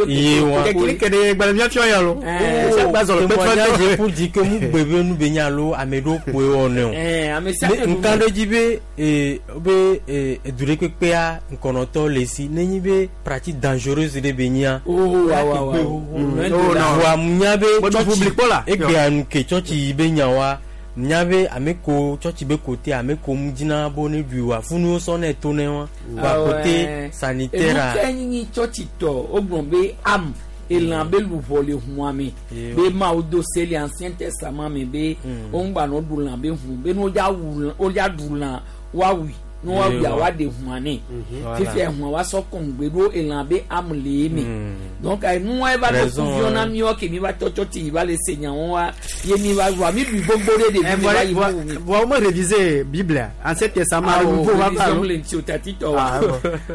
ye wa kele gbalẽ miafiɔ ya lo témoignage pour dire que mu gbe be nu be nya alo ame ɖewo kpoe wɔ ne o nka ɖe dzi be be edu ɖe kpekpea ŋkɔnɔtɔ le si nenyi be pratique dangereuse ɖe be nyia wa nya be tsɔtsi egbea nu ke tsɔtsi yi be nya wa nya be ame ko tsɔtsi be kote ame ko mu dzina bo ne ɖui wa funu sɔ ne to ne wa wa kote sanitaire a. Enu ke nyi tsɔtsi tɔ o gblɔ be am elã be luʋɔ le hũa me be Mawu do se le Ancien Testament me be wo ŋgba nɔ ɖu lã be hũ be ne wodza wu wodza ɖu lã woawui ne woawuia woaɖe hũa nɛ fifia hũa woasɔ kɔŋgbe ɖo elã be am le eme donc enua eva ɖo kuviwo na míawo ke mi va tɔ tsɔtsi yi va le se nyawo wa ye mi va wa mi ɖui gbogbo ɖe ɖevi mi va yi ƒu mi. Vɔ wo me réviser Bible Ancien Testament nouveau va va lo. Le ŋuti o tati tɔ wa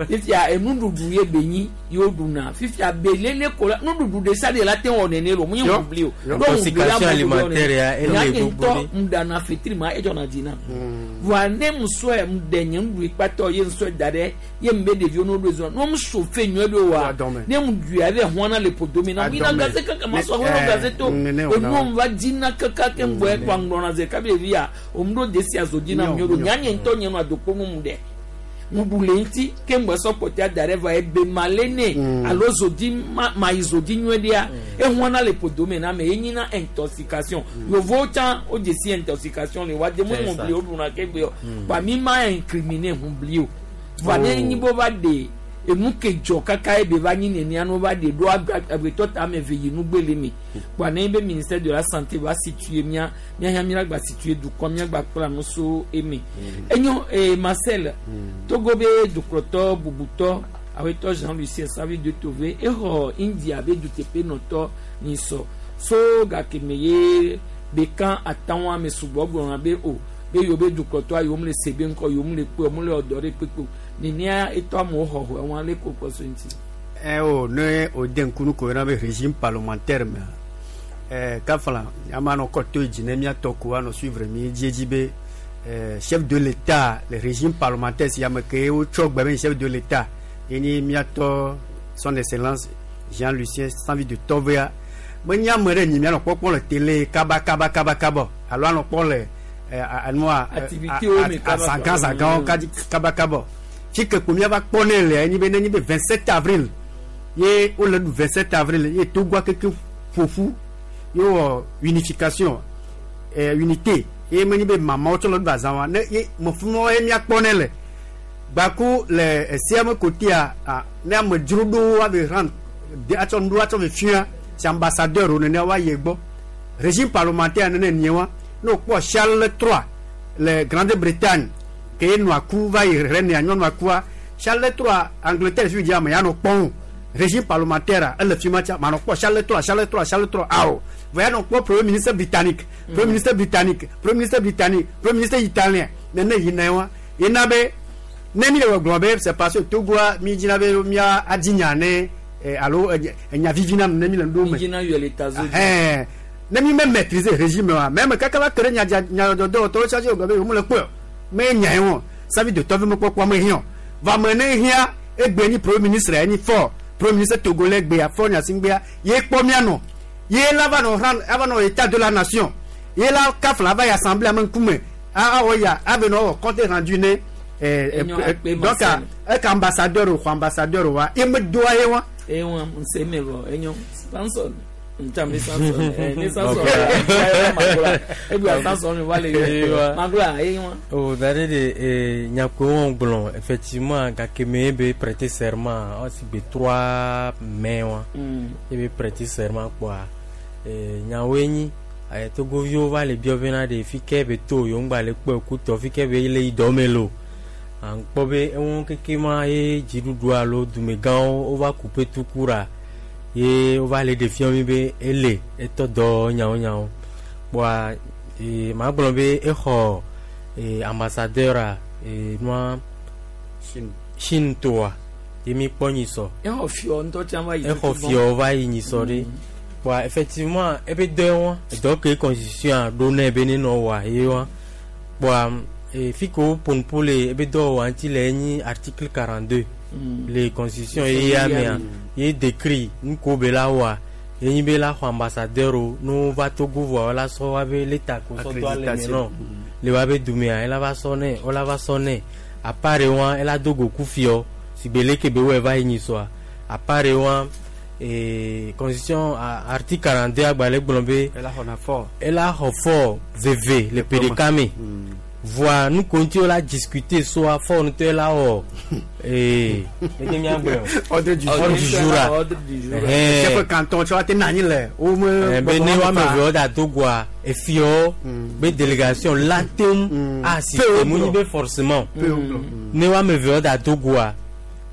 fifia enuɖuɖu ye be nyi ye wo ɖuna fifia belele ko la nuɖuɖu ɖe sia ɖe la te wɔ nene lo mu nye ŋubli o. Intoxication alimentaire ya ele gbogbo ɖe. Ŋɖana fetri ma edzɔna dzi na. Vɔa ne musɔe ŋɖe nye ŋɖui kpatɔ ye ŋusɔe da ɖe ye ŋbe ɖeviwo no ɖo zɔn ne ŋu fe nyuie ɖo wa ne ŋu ɖui ave hɔn le ƒodomi na ŋu yina gaze kaka ma sɔ hɔn gaze to enuwo ŋu va dzina kaka ke ŋgbɔ ekpa ŋgblɔna ze kabi ɖevia o ŋu ɖo desi azo dzi na ŋu ɖo nyanye ŋutɔ nye nu adokpo nu mu ɖe ŋuɖu le ŋuti ke ŋgbɔ sɔ kpɔtɛ da ɖe va ebe ma le ne alo zodi ma ma yi zodi nyuie ɖea ehɔn le ƒodomi na me ye nyina intoxication yovowo tsã wo dzesi intoxication le wa demo ŋubli wo ɖuna ke gbe yɔ kpa mi ma incriminer ŋubli o va ne nyi bo va ɖe enu ke dzɔ kaka ebe va nyi nenia no va ɖe ɖo agbetɔ ta ame eve yi nugbe le me kpa ne be ministère de la santé va situer mía mía mía gba situer dukɔ mía gba kpla nu so eme enyo ee Marcel Togo be dukplɔtɔ bubutɔ awetɔ Jean-Lucien Savi de Tove exɔ India be duteƒe nɔtɔ nyisɔ so gake me ye bekan atawọn ame sugbɔ gblɔna be o be yewo be dukplɔtɔa yewo le se be ŋkɔ yewo le kpe yewo le ɔdɔ ɖe kpekpe nenea etɔ amewo xɔxɔ wɔn ale ko kpɔ so ŋuti. Ɛ o ne o de nkunu ko yɛrɛ bɛ régime parlementaire mɛ ɛ kafala ama nɔ kɔtɔ yi dzi ne miatɔ ko anɔ suivre mi edzi be ɛ chef de l'État le régime parlementaire si ame ke wotsɔ gbe be chef de l'État ye ni miatɔ son excellence Jean-Lucien Savi de Tovea menye ame ɖe nyi mianɔ kpɔkpɔ le télé kaba kaba kaba kaba alo anɔ kpɔ le anua azãgã zãgãwo kaba kaba fi ke ko miava kpɔ ne le enyi be nenyi be vingt-sept avril ye wole ɖu vingt-sept avril ye Togoa keke ƒoƒu ye wɔ unification ɛ unité ye menyi be mamawo tsɔ le ɖu azã wa ne ye mefumɔ ye miakpɔ ne le gbaku le esia me kotea ne amedzro ɖowo ave rendre atsɔ nuɖo atsɔ ve fia si ambassadeur wo nene wa ye gbɔ régime parlementaire nene nie wa ne wokpɔ Charles trois le Grande-Bretagne ke nua ku va yi renea nyɔnua kua Charles trois Angleterre fi dzi ame ya nɔ kpɔm régime parlementaire ele fi ma tsa manɔ kpɔ Charles trois Charles trois Charles trois awo vɔ ya nɔ kpɔ premier ministre britannique premier ministre britannique premier ministre britannique premier ministre italien nene yina wa yina be ne mi le gbɔgblɔ be c'est parce que Togoa mi dzina be mia adi nya ne alo enya vivi na ne mi le ɖo me mi dzina yɔ le tazo dzi ne mi me maîtriser régime wa même kaka va kere nya nya dɔdɔ tɔwo tsatsi gbɔ be yewo le kpɔe me nya ye wɔn Savi de Tove me kpɔkpɔ me hiã va me ne hiã egbe nyi premier ministre ye nyi fɔ premier ministre togolais gbea fɔ nyasingbea ye kpɔ mia nɔ ye la va nɔ ran ava nɔ état de la nation ye la kafla va yi assemblée ame ŋkume awɔ ya ave nɔ wɔ compte rendu ne donc eka ambassadeur xɔ ambassadeur wa ye me doa ye wa. Ewa nse me vɔ enyo Samson ntambi Samson ni Samson magula ebi Samson wa le magula ewa. O dare de nyako wɔn gblɔ effectivement gake me be prêter serment ɔsi be trois mai wa e be prêter serment kpɔa nyawoe nyi Togoviwo va le biɔ bena ɖe fi ke be to yewo ŋgba le kpɔe kutɔ fi ke be le yi dɔ me lo. Ankpɔ be eŋu keke ma ye dziɖuɖu alo dumegãwo wova kupe tukura Ye wova le ɖe fiɔ mi be ele etɔ dɔ nyawo nyawo. Kpoa e, ma gblɔ be exɔ e, ambassadeur a e, nua Chine toa ye mi kpɔ nyisɔ. Exɔ fiɔ ŋutɔ tsã va yi. Exɔ fiɔ va yi nyisɔ ɖe. Kpoa effectivement ebe dɔ wa dɔ ke constitution a ɖo nɛ be ne nɔ wɔa ye wa. Kpoa e, fi ke wo ƒo le ebe dɔ wɔa ŋuti le enyi article quarante-deux. Mm. Le constitution ye ya mea ye décrit nuko be la wɔa ye nyi be la xɔ ambassadeur o no va Togo vɔa la sɔ wa be leta ko sɔ do ale me nɔ le wa be dumea ela va sɔ nɛ wola va sɔ nɛ à part wa ela do go ku fiɔ si be leke be wɔ va yi nyisɔa à part wa e constitution article quarante-deux agbalẽ gblɔ be ela xɔna fort ela xɔ fort veve le P D K me. Voa nu konti la discuter soit fort nous te là oh eh ordre du jour ordre du jour chef canton tu vas te nani le o me be ne wa me ve da Togoa e fio be délégation la tem assister mu be forcément ne wa me ve da Togoa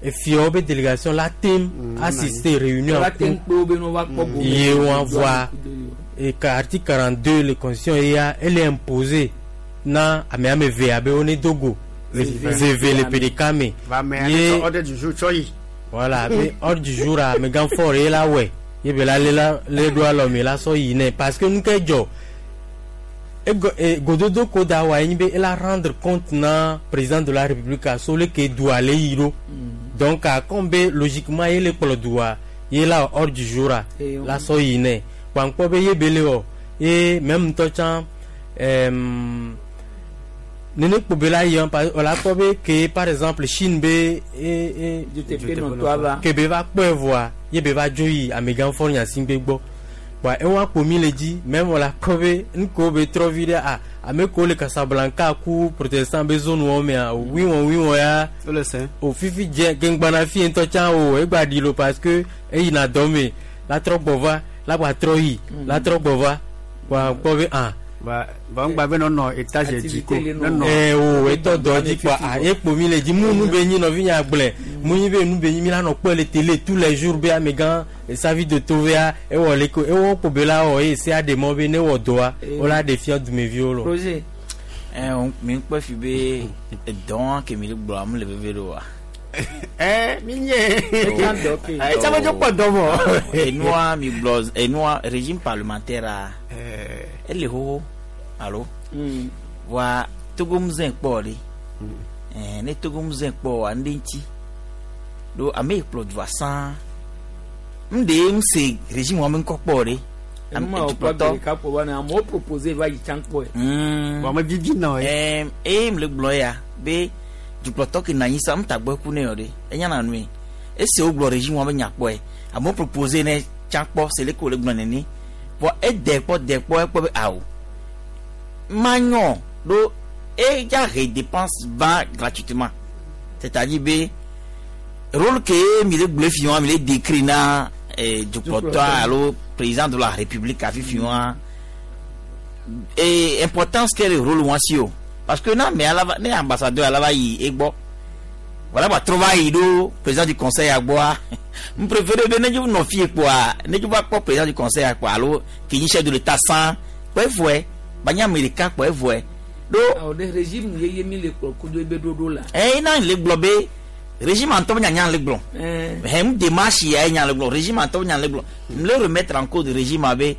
e fio be délégation la tem assister réunion la tem pe be no va kpo ye wa voa et article quarante-deux le constitution elle est imposée na ame ame ve abe one dogo veve le P D K me va me ordre du jour choyi voilà mais ordre du jour a me gan fort et la ouais ye be la le le do alo me la so yi ne parce que nous ke jo e gododo ko da wa yin be la rendre compte na président de la République a so le ke do ale yiro donc a kombe logiquement ye le kplo doa ye la ordre du jour a la so yi ne kwa nko be ye bele o et même to chan euh nene kpobela yi on la kpɔ que par exemple Chine be e e ke be va kpɔe voa ye be va dzo yi amegã fɔ nyasigbe gbɔ wa ewa kpomi le dzi même on la kpɔ be nuko be trɔ vi ɖe a ame ko le Casablanca ku protestant be zone wɔm mea o wiwɔ wiwɔ ya o fifi dze gengbana fi ŋutɔ tsã o egba ɖi lo parce que eyina dɔ me la trɔ gbɔ va la gba trɔ yi la trɔ gbɔ va wa kpɔ be ah. Ba ba ngba be no no étage dzi ko no eh o eto do dzi quoi ah ekpo mi le dzi mu nu be nyi nɔvi nya gblẽ mu nyi be nu be nyi mi la nɔ kpɔe le télé tous les jours be amegã savi de tovea ewɔ le ko ewɔ kpo be la wɔ eye se aɖe mɔ be ne wɔ dɔa wo la ɖe fia dumeviwo lo. Projet. Eh mi kpɔ fi be edɔn ke mi le gblɔ amu le veve ɖo wa. Eh mi nye. Eh tsama dzo kpɔ dɔ vɔ. Enua mi gblɔ enua régime parlementaire a. Ele xoxo. Alo wa Togo mzẽ kpɔ ɖe eh ne Togo mzẽ kpɔ wa ŋɖe ŋuti ɖo ame yi kplɔ dua sãa ŋɖe ŋse régime wa me ŋkɔ kpɔ ɖe. Dukplɔtɔ amewo propose va yi tsã kpɔe. Wa me vivi nɔ ye. Ɛɛ eye mle gblɔ ya be dukplɔtɔ ke nɔ anyi sa ŋutagbɔ ku ne yɔ ɖe enya na nue esi wogblɔ régime wa be nya kpɔe amewo propose ne tsã kpɔ se leke wòle gblɔ nene vɔ ede kpɔ de kpɔ ekpɔ be awo. Magnon, do et ya dépense va gratuitement. C'est-à-dire be rôle que mi le bleu fion mi le décrit na du porteur allo président de la République a fion et importance que le rôle moi si parce que na mais ala ne ambassadeur ala va yi egbo voilà va trouver do président du conseil à bois me préféré be ne ju no fi quoi ne ju va pas président du conseil à quoi allo qui chef de l'état sans quoi voye banya amerika kpɔ evɔe do. Awo de régime yeye mi le kplɔ kudo ebe ɖoɖo la. Ɛ ina le gblɔ be régime antɔ nya nya le gblɔ. Hɛn démarche ya nya le gblɔ régime antɔ nya le gblɔ. Le remettre en cause régime abe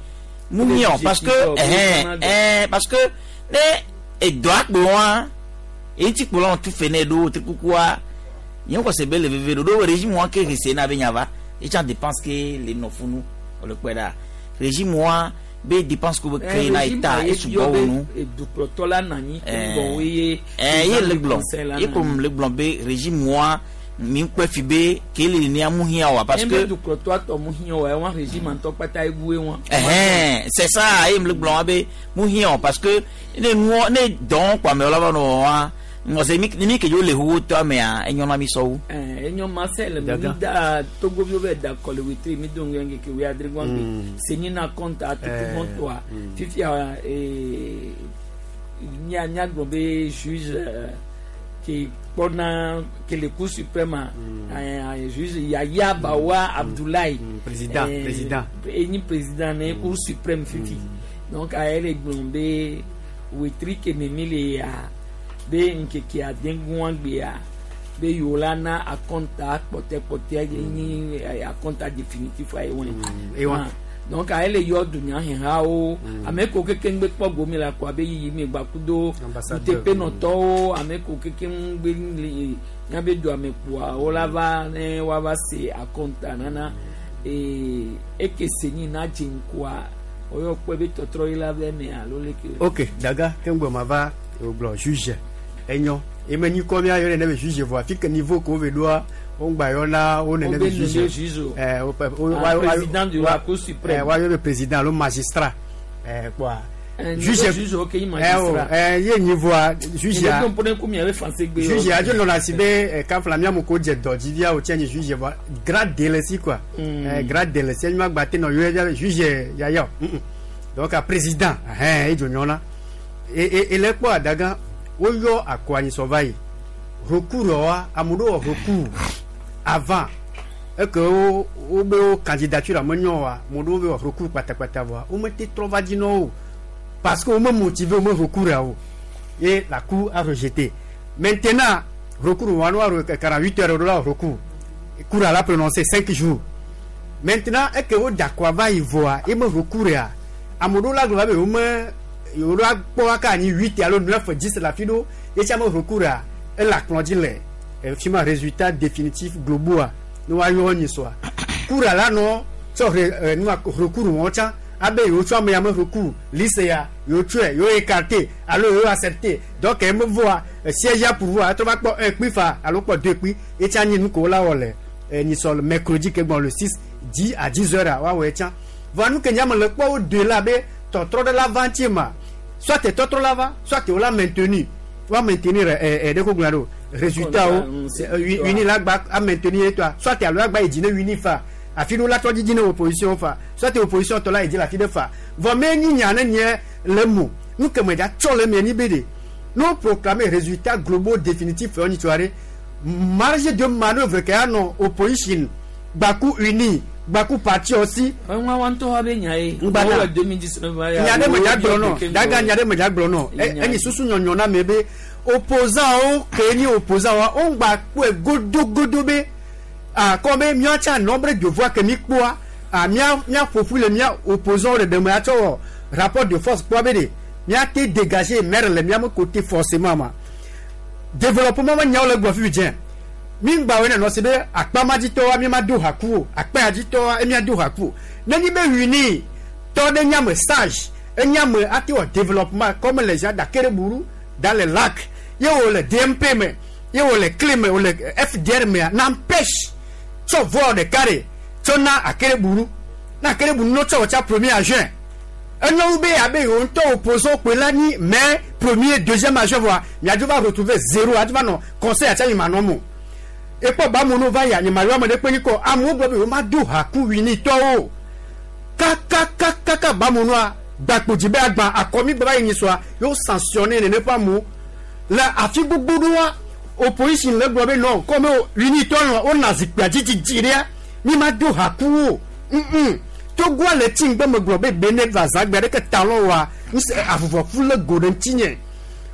mu miɔ parce que ɛhɛn ɛɛ parce que ne edɔ akpo wa eyi ti kplɔ tu fe ne ɖo te kukua nye kɔ se be le veve ɖo ɖo régime wa ke rese na be nya va etsa dépense ke le nɔfunu wòle kpɔe ɖa régime wa. Be dépense ko be créer na état et sugbɔ wo nu. Dukplɔtɔ la nɔ anyi. Eh ye le gblɔ ye ko le gblɔ be régime wa mi kpɛ fi be ke le ni amu hiã wa parce que. Dukplɔtɔ tɔ mu hiã wa wa régime ŋutɔ kpata ebu wa. Ɛhɛn c'est ça ye le gblɔ wa be mu hiã wa parce que ne nuɔ ne dɔn kpɔ amewo la va nɔ wa ŋɔse mi mi ke dzo le xoxo tɔ amea enyɔ na mi sɔwu. Enyɔ ma se le mi da Togoviwo bɛ da kɔle wetri mi do ŋgɛ ke wia adre gbɔngbe senyi na kɔnta tutu gbɔntɔa fifia ee mia mia gblɔ be juge Ke kpɔna ke le Cour suprême juge Yaya Bawa Abdoulaye président président enyi président ne Cour suprême fifi donc ayele gblɔ be wetri ke memi le ya be nkeke adengun gbea be yewo la na akɔnta kpɔtɛkpɔtɛ enyi akɔnta définitif ayi wɔn donc ayele yɔ dunyahehawo ame ko keke ŋgbe kpɔ gomi la ko abe yiyi mi gbakudo utepenɔtɔwo ame ko keke ŋgbe le nyabe do ame kpoa wo la va ne woava se akɔnta nana ee eke se nyi na dze ŋkua oyɔ kpɔ be tɔtrɔ yi la vɛ mɛ alo leke. Ok daga ke ŋgbɔ ma va gblɔ juge enyɔ eme nyi kɔ mia yɔ ne be juge vɔ afi ke niveau ko ve ɖoa wo ŋgba yɔ na wo nene be juge ɛɛ wo wo président de la Cour suprême ɛɛ wa yɔ be président alo magistrat ɛɛ kpoa juge juge ok yi magistrat ɛɛ ye nyi voa juge a juge a dzo nɔna si be kafla mia mo ko dze dɔ dzi via o tse nyi juge voa grade le si quoi ɛɛ grade le si enyima gba te nɔ yɔ juge yaya o donc a président ɛhɛn edzo nyɔna e e le kpɔ adaga woyɔ akɔ anyisɔ va yi recours wa ame ɖewo wɔ recours avant eke wo wobe wo candidature ame nyɔ wa ame ɖewo be wɔ recours kpatakpata vɔa womete trɔ va dzi na wo parce que wome motivé wome recours ya o et la cour a rejeté. Maintenant recours wa no wa quarante-huit heures la recours cour a la prononcé cinq jours. Maintenant eke wo dakɔ va yi vɔa eme recours ya ame ɖewo la gblɔ va be wome yewo la kpɔ aka anyi huit alo neuf dix la fi ɖo etsi ame recours ya ele akplɔ dzi le fi ma résultat définitif globoa ne woayɔ nyi sɔa kura la nɔ tsɔ re nua recours wɔn tsã abe yewo tsɔ ame ya me recours liste ya yewo tsɔe yewo écarté alo yewo accepté donc eme voa siège ya pourvoir etrɔ va kpɔ un kpi fa alo kpɔ deux kpi etsi anyi nu ko wo la wɔ le nyisɔ mercredi ke gbɔn le six dix à dix heures a woawɔ etsã voa nu ke nye ame le kpɔ wo deux la be tɔtrɔ ɖe la va ŋuti ma soit tɔtrɔ la va soit wo la maintenu va maintenir ɛ ɛ ɖe ko gblɔ ɖo résultat o uni la gba a maintenir toi soit alo agba yi dzi ne uni fa afi ɖo la trɔ dzidzi ne opposition fa soit opposition tɔ la yi dzi le afi ɖe fa vɔ me nyi nya ne nye le mo nu ke me dza tsɔ le mia nyi be de no proclamer résultat globaux définitif fɛ nyi tso aɖe marge de manœuvre ke anɔ opposition gbaku uni gbaku parti aussi. wọn wa ntọ́ wa bɛ nya ye. ngbana nya ɖe me dza gblɔ nɔ daga nya ɖe me dza gblɔ nɔ enyi susu nyɔnyɔ na me be opposant wo ke nyi opposant wa wo ŋgba kpɔe godogodo be akɔ be miatsa nombre de voix ke mi kpɔa a mia mia ƒoƒu le mia opposant ɖeɖe me atsɔ wɔ rapport de force kpɔa be de miate dégager maire le miame côté forcément ma développement me nyawo le gbɔ fifi dze mi ŋgba wo nenɔ si be akpamadzitɔwoa mi ma do haku o akpayadzitɔwoa emia do haku o nenyi be wini tɔ ɖe nyame sage enyame ate wɔ développement comme les gens d'Akereburu dans les lacs ye wo le D M P me ye wo le clé me wo le F D R mea n'empêche tsɔ voa ɖeka ɖe tsɔ na Akereburu na Akereburu no tsɔ wɔ tsa premier juin enyo be abe yewo ŋutɔ opposant kpe la nyi mais premier deuxième juin voa miadzo va retrouver zéro adzo va nɔ conseil atsa yi ma nɔ mo ekpɔ bamono va ya nyemayo ame ɖe kpe nyi kɔ amewo gblɔ be yewo ma do haku winitɔwo kakakakaka bamonoa gbakpodzi be agba akɔmi gba va yi nyi sɔa yewo sanctionné nene ƒe amewo le afi gbogbo ɖoa opposition le gblɔ be nɔ kɔme winitɔ nɔ wona zikpuia dzidzidzi ɖea mi ma do haku wo ŋu Togoa le tsi ŋgbe me gblɔ be Benin va zãgbe aɖeke talɔ wa ŋusẽ avuvɔfu le go ɖe ŋutinye.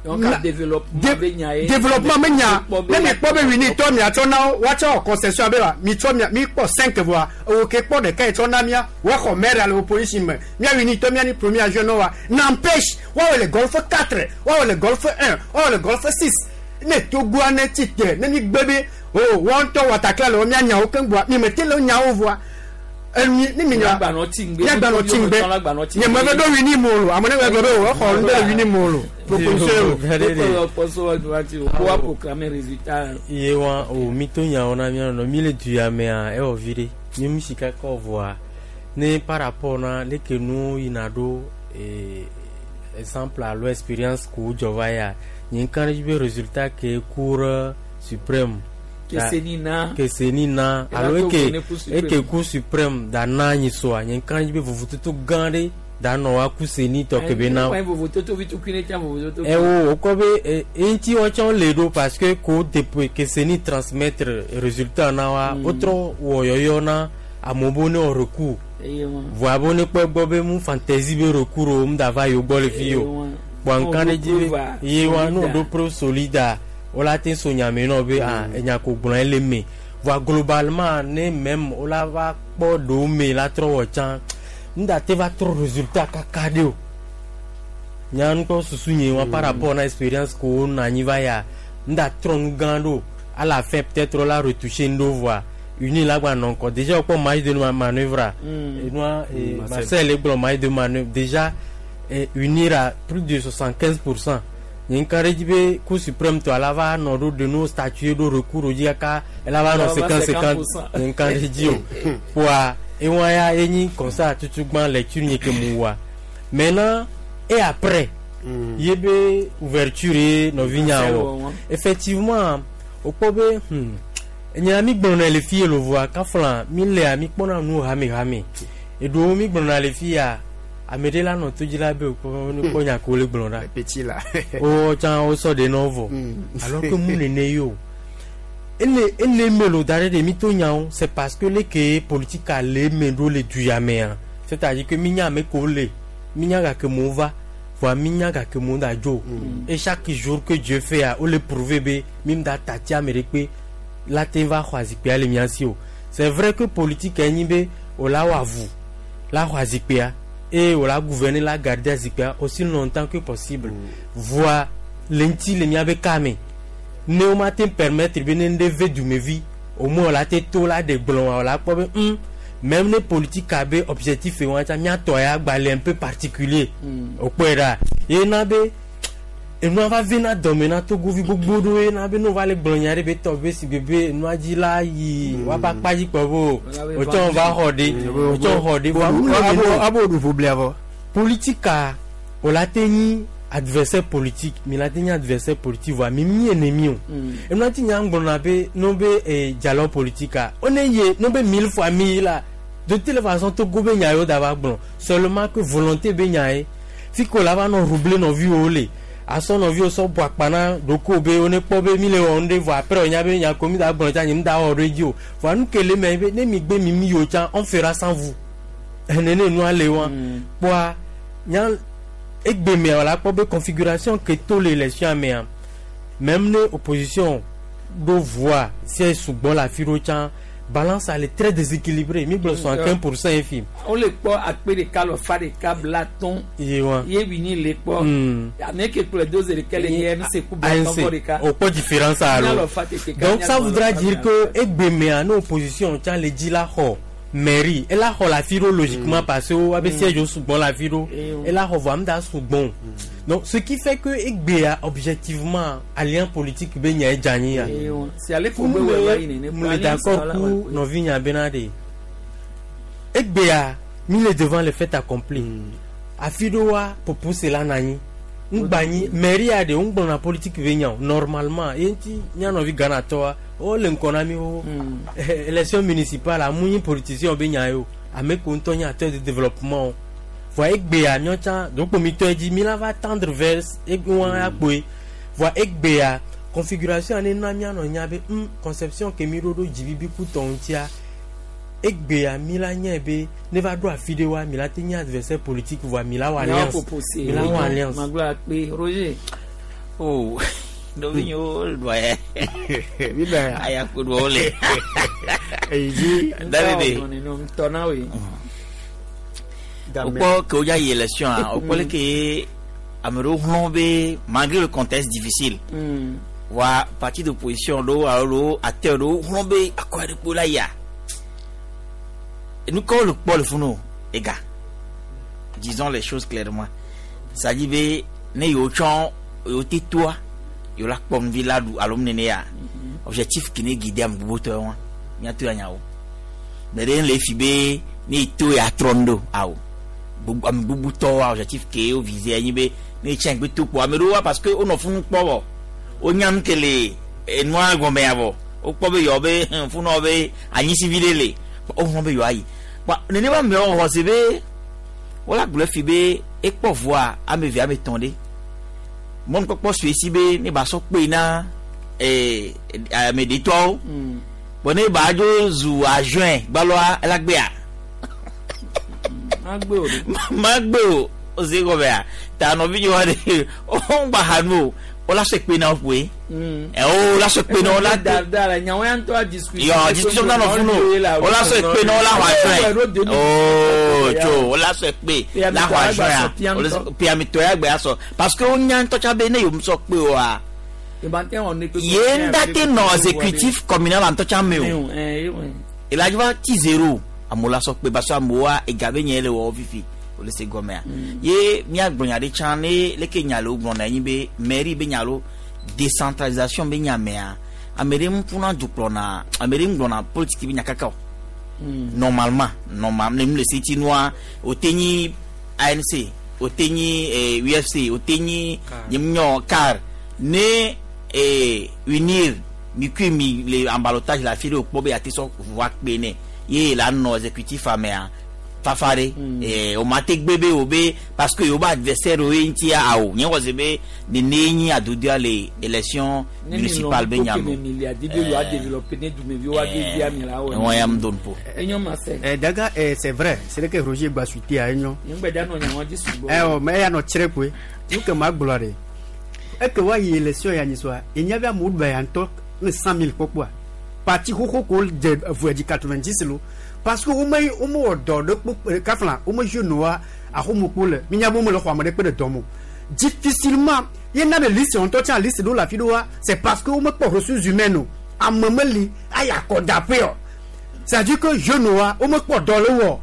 Donc développement be nya ye. Développement be nya ne mi kpɔ be winitɔ miatsɔ na wo woatsɔ concession abe wa mitsɔ mia mi kpɔ cinq voa ewo ke kpɔ ɖeka yi tsɔ na mia woaxɔ maire le opposition me mia winitɔ mia ni premier jeune wa n'empêche woawɔ le golfe quatre woawɔ le golfe un woawɔ le golfe six ne Togoa ne tsi te ne mi gbe be o wɔn ŋutɔ wɔtakla le wo mia nyawo keŋ gbɔa mi me te le nyawo voa. Emi ni mi nya miagbanɔ tsi ŋgbe nye me ve ɖo wini mo lo ame ne gblɔ be o exɔ nu ɖe wini mo lo proposition o proclamer résultat ye wa o mi to nyawo na mia nɔ mi le du ya mea ewɔ vi ɖe mi mu sika kɔ vɔa ne par rapport na leke nu yina ɖo exemple alo expérience ko dzɔ va ya nye ŋka ɖe dzi be résultat ke cour suprême Kesenina Kesenina alo eke eke Cour suprême da na nyi soa nye ŋka dzi be vovototo gã ɖe Da nɔ wa ku seni tɔ ke be na. Ewo o kɔ be eŋuti wɔtsɔ le ɖo parce que ko depuis que seni transmettre résultat na wa o trɔ wɔ yɔyɔ na amewo be ne wɔ recours. Voa be ne kpɔ gbɔ be mu fantaisie be recours o mu da va yewo gbɔ le fi o. Kpɔ nka ɖe dzi be ye wa n'o ɖo preuve solide o la te so nyame nɔ be ah enya ko gblɔ ele me. Voa globalement ne même o la va kpɔ ɖewo me la trɔ wɔ tsã. Nda te va trɔ résultat kaka ɖe o. Nya ŋutɔ susu nye wa par rapport na expérience ko nɔ anyi va ya nda trɔ nu gã ɖo à la fin peut-être la retoucher ŋɖo voa uni la gba nɔ ŋkɔ déjà wokpɔ marge de manœuvre enua Marcel gblɔ marge de manœuvre déjà unir à plus de soixante-quinze pour cent. Nye ŋka ɖe dzi be Cour suprême tɔ la va nɔ ɖo de no statuer ɖo recours dzi kaka ela va nɔ cinquante cinquante nye ŋka ɖe dzi o. Kpoa ewa ya enyi comme ça tutugban lecture nye ke mu wa. Maintenant et après mm. ye be ouverture ye nɔvi nya wɔ effectivement o kpɔ be hmm enya mi gblɔna le fi le voa kafla mi lea mi kpɔna nu hame hame eɖewo mi gblɔna le fi ya ame ɖe la nɔ to dzi la be o ne kpɔ nya ko le gblɔ ɖa petit la o tsã o sɔ de nɔ vɔ alors que mu nene ye o. Ele ele melo da ɖe ɖe mi to nyawo c'est parce que leke politique le me ɖo le du ya mea c'est-à-dire que mi nya ame ko le mi nya gake mo va voa mi nya gake mo da dzo et chaque jour que Dieu fait a o le prouver be mi da tati ame ɖe kpe la te va xɔ azikpuia le mia si o. C'est vrai que politique enyi be o la wɔ avu la xɔ azikpuia et o la gouverner la garder azikpuia aussi longtemps que possible voa le ŋuti le mia be kame ne o ma te permettre be ne ne ve dumevi au moins la te to la de gblɔ la kpɔ be hum même ne politique abe objectif e wɔn tsa miatɔ ya gbalẽ un peu particulier o kpɔe ɖa ye na be enua va ve na dɔme na togovi gbogbo ɖo ye na be no va le gblɔ nya ɖe be tɔ be si bebe enua dzi la yi woabe akpa dzi kpɔ be o tsɔ va xɔ ɖe o tsɔ xɔ ɖe voa mu le abo abo ɖu ƒoblia vɔ politique o la te nyi adversaire politique mi la te nyi adversaire politique voa mi mi ennemi o enua ti nya gblɔna be no be eh, dialogue politique a o ne ye no be mille fois mi la de telle façon Togo be nya yo da va gblɔ seulement que volonté be nya ye fi ko la va nɔ rouble nɔviwo le asɔ nɔviwo sɔ bu akpa na ɖokuiwo be wo ne kpɔ be mi le wɔ nu ɖe vɔ après nya be nya ko mi da gblɔ tsa nye mi da wɔ ɖo edzi o voa nu ke le me be ne mi gbe mi mi yiwo tsã on fera sans vous nene nua le wa kpɔa nya egbe mea la kpɔ be configuration ke to le élection mea même ne opposition ɖo voix si sugbɔ le afi ɖo tsã balance elle est très déséquilibrée mi gblɔ soixante-quinze pour cent efi. o le kpɔ akpe ɖeka lɔ fa ɖeka bla tɔn. Ye wa ye wini le kpɔ. Ame ke kplɔe do zi ɖeka le nye M C ku bla tɔn vɔ ɖeka. O kpɔ différence alo donc ça voudra dire que egbe mea ne opposition tsã le dzi la xɔ mairie ela xɔ la fi ɖo logiquement parce que wo abe siège wo sugbɔ la fi ɖo ela xɔ vɔ ame da sugbɔn donc ce qui fait que egbea objectivement alliance politique be nya edze anyi ya mu le d'accord ku nɔvi nya bena de egbea mi le devant le fait accompli afi ɖo wa popose la na anyi ŋgba nyi mairie de ŋgblɔna politique be nya o normalement ye ŋuti mía nɔvi Ghanatɔa wo le ŋkɔ na mi wo élection municipale amu nyi politicien be nya ye o ame ko ŋutɔ nye acteur de développement o voa egbea míawo tsã dokpo mi tɔ dzi mi la va tendre vers eŋua ya kpoe voa egbea configuration ne na míanɔ nya be hm conception ke mi ɖo ɖo dzibibi ku tɔ ŋutia egbea mi la nya be ne va ɖo afi ɖe wa mi la te nye adversaire politique voa mi la wɔ alliance mi la wɔ alliance. Magblɔ akpe Roger. Oh nɔvi nyewo ɖua ya aya ko ɖua wole. Eyi Davide. Ŋutɔ na woe. Wokpɔ ke wodza yi élection a wokpɔ leke ame ɖewo hlɔ̃ be malgré le contexte difficile wa parti d'opposition ɖewo alo acteur ɖewo hlɔ̃ be akɔ aɖe kpo la yia nu kawo le kpɔ le funu ega disons les choses clairement ça dit be ne yewo tsɔ yewo te toa yewo la kpɔ nuvi la ɖu alo nene ya objectif ke ne guide ame gbogbo tɔ wa míato ya nyawo me ɖe le fi be ne yi to ya trɔ nu ɖo awo gbogbo ame gbogbo tɔ wa objectif ke wo visé anyi be ne yi tsɛn gbe to kpɔ ame ɖewo wa parce que wonɔ funu kpɔ vɔ wonya nu ke le enua gɔme ya vɔ wokpɔ be yewo be funɔ be anyisivi ɖe le wohlɔ̃ be yewoayi kpa nenema amewo xɔ se be Wala gblɔ fi be ekpɔ voa ame eve ame etɔ̃ ɖe. Mɔnukpɔkpɔ sue si be ne ba sɔ kpe na eh ame ɖetɔwo. Bon ne ba dzo zu adjoint gbaloa ela gbea. Magbe o. Magbe o. O se gɔmea. Ta nɔvi nyi wa de o ŋgba ha nu o. O la se kpe na wo koe. Eh o la se kpe na wo la da da la nyawo ya ŋutɔ a discussion. Yo discussion na nɔ funu o. O la se kpe na wo la xɔ adjoint. Oh tso o la se kpe la xɔ adjoint ya. Piamitɔ ya gbe asɔ parce que o nya ŋutɔ tsa be ne yom sɔ kpe oa. Ye ŋda te nɔ exécutif communal ŋutɔ tsa me o. Ela va ti zéro. Amewo la sɔ kpe parce que amewoa ega be nye le wɔ fifi. O le se gɔmea. Ye míagblɔ nya ɖe tsã ne leke nya le wo gblɔna enyi be mairie be nya lo décentralisation be nya mea ame ɖe ŋu dukplɔna ame ɖe ŋgblɔna politique be nya kaka o. Normalement normal ne nu le se ti nua o te nyi A N C o te nyi U F C o te nyi nyɔ car ne unir mi kui mi le en ballottage la fi ɖe o kpɔ be ate sɔ voa kpe ne ye la nɔ exécutif amea. Fafare eh o mate gbebe o be parce que yo ba adversaire o ntia awo nye wo be ne ne nyi adodia le élection municipale be nyamo eh ya mdon po eh daga eh c'est vrai c'est que Roger gba suite a enyo eh o mais ya no tire ko nu ke ma gblore e ke wa yi élection ya nyi so e nya bia mo ba ya nto cent mille popwa parti hoko ko de voye di quatre-vingt-dix lo parce que au moins au moins de kafla au moins jeune noir à homopole minya bo me le xɔ de de domo difficilement il y a des listes on tient liste de la fidoa c'est parce que au moins pour ressources humaines à memeli aya ko d'après c'est-à-dire que jeune noir au moins pour dans le wo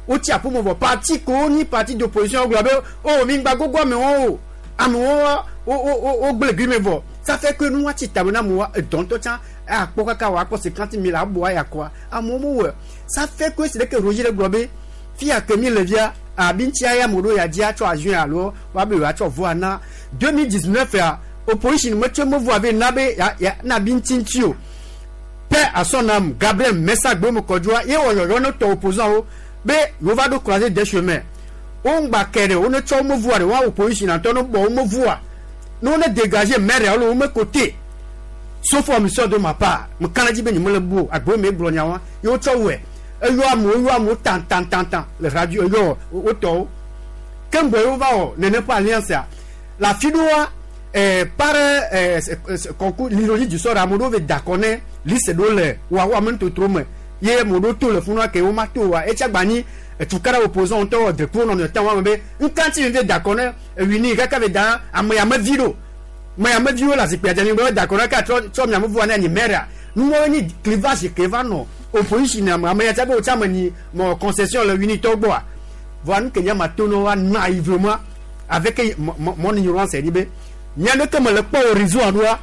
o ti apo mo parti ko ni parti d'opposition gba be oh mi gba gogo me won o am won o o o gble gri me vo ça fait que nous ti tabona mo don to tient a po kaka wa po cinquante mille a bo ya quoi a mo mo ça fait que c'est que Roger le globé fia que mi le via a bintia ya modo ya dia cho adjoint alors wa be wa cho voix na deux mille dix-neuf ya opposition me cho mo voix be na be ya na bintin tio paix à son âme Gabriel Messa gbe mo kodjoa ye wo yo no to opposant o be yo va do croiser des chemins on gba kere on cho mo voix de wa opposition na to no bo mo voix nous on est dégagé maire alors on côté sauf omission de ma part me kanadi be ni mo le bo agbo me glo nyawa yo cho we eyo amu eyo amu tan tan tan tan le radio eyo o to kembo yo va o nene pa alliance la fidoa eh par eh concours l'ironie du sort amodo ve dakone liste do le wa wa men to tro me ye modo to le funwa ke o ma to wa e tsa ni tukara opposant to de ko no tan wa me nkanti ve dakone wini kaka ve da amoya me viro mais à me dire la c'est pas d'accord ka tro mi amu na ni mera nous mo ni clivage ke va no opposition na mais ya ba o ni mon concession le unité bois voilà nous que nya matono wa naïvement avec mon ignorance dit be nya ne comme le po horizon anoa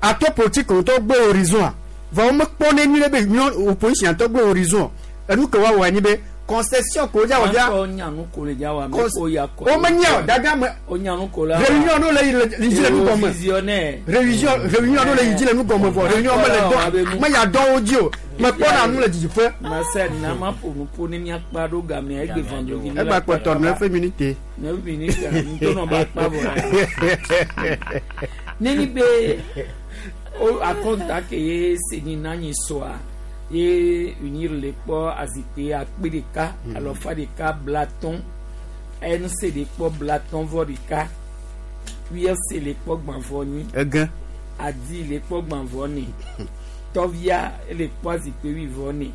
a to politique on to gbe horizon va me pone ni le be opposition to gbe horizon nous que wa wa ni be concession ko ja oja o nyanu ko le ja wa me ko ya ko o menya daga me o nyanu ko la réunion no le le le nu gomme réunion réunion no le le nu gomme vo réunion me le do me ya do audio me ko na nu le didi fe ma se na ma po nu po ni mi apa do ga me egbe vendredi e ba ko to neuf minutes neuf minutes to no ba pa bo ni ni be o akonta ke se ni na nyi so a ye unir le kpɔ azikpe akpe ɖeka alɔfa ɖeka blaton N C le kpɔ blaton vɔ ɖeka U F C le kpɔ gbãvɔ nyi ege Adi le kpɔ gbãvɔ ne Tɔvia le kpɔ azikpe wuivɔ ne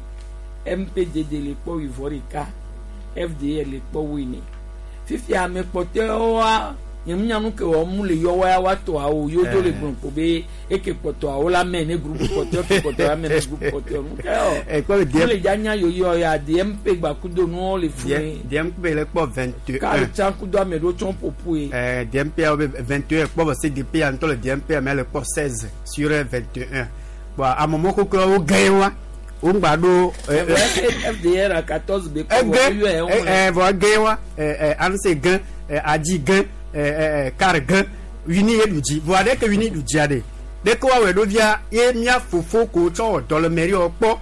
M P D D le kpɔ wuivɔ ɖeka F D L le kpɔ wuiene fifia ame kpɔtɔewoa nyemnyanu ke wɔm le yɔ wa wa tɔ awo yo do le gblɔ ko be eke kpɔtɔ awo la mɛ ne groupe kpɔtɔ ke kpɔtɔ la mɛ ne groupe kpɔtɔ nu ke ɔ ɛ kɔ D le dza nya yoyo ya D M P gbakudo nuwo le fu ne D M P le kpɔ vingt et un k'ale tsa kudo ame ɖewo tsɔ ƒoƒu ye ɛ D M P awo be vingt et un kpɔ C D P ya ŋutɔ le D M P ame le kpɔ seize sur vingt et un bon amemɔ koko wo gɛ wa wo ŋgba ɖo F D R à quatorze be kpɔ vɔ ɛ vɔ gɛ wa ɛ ɛ A N C gɛ ɛ Adi gɛ car gan wini ye duji voa ɖe ke wini dujia ɖe ɖe ke woawɔe ɖo via ye mía fofo ko tsɔ wɔ dɔ le mairie kpɔ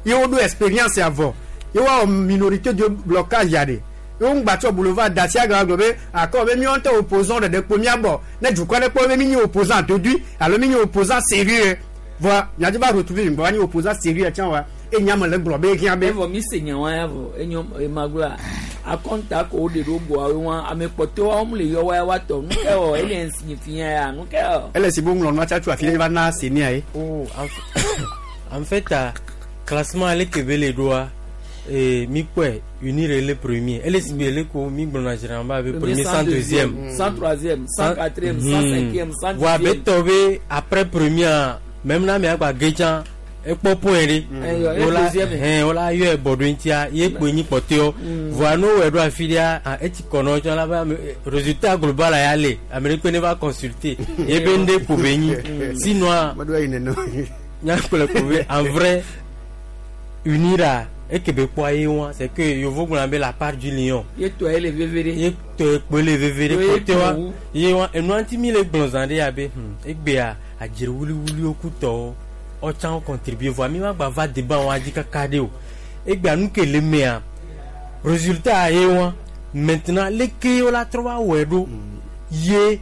ye woɖo expérience avɔ ye woawɔ minorité de blocage ya ɖe Yo ngba tsɔ boulevard dacia ga gblɔ be akɔ be míawo ŋutɔ opposant ɖeɖe kpo míabɔ ne dukɔ ɖe kpɔ be mi nyi opposant dodui alo mi nyi opposant sérieux voa miadzi va retrouver mi gbɔ va nyi opposant sérieux tsã wa enya me le gblɔ be hiã be. Evɔ mi se nya wa ya vɔ enyo emagblɔa akɔnta ko wo de ɖo goa wo wa ame kpɔtɔwo wo le yɔ wa ya wa tɔ nu ke wɔ ele signifie ya nu ke wɔ. Ele si bo ŋlɔ nua tsa tso afi ɖe va na senia ye. Oh, en fait classement ale ke be le ɖoa et mi kpɔe unir le premier ele si be le ko mi gblɔna généralement be premier cent deuxième cent troisième cent quatrième cent cinquième cent dixième. Voa be tɔ be après premier même na mia gba gedza ekpɔ point ɖe wola hɛn wola yɔ bɔ ɖo ŋutia ye kpoe nyi kpɔtɔewo voa no wɔ ɖo afi ɖea etsi kɔnɔ tsɔ la be ame résultat global ya le ame ɖe kpe ne va consulter ye be ŋɖe ko be nyi sinon nyakplɔ ko be en vrai unira eke be kpɔ ye wa c'est que yovo gblɔna be la part du lion ye tɔ ye le veve ɖe ye tɔ ye kpoe le veve ɖe kpɔtɔewoa ye wa enua ŋuti mi le gblɔ zã ɖe ya be egbea adzre wuliwuliwo kutɔwo ɔtsã contribuer voa mi ma gba va débat wa dzi kaka ɖe o egbea nu ke le mea résultat ye wa maintenant leke wo la trɔ va wɔe ɖo ye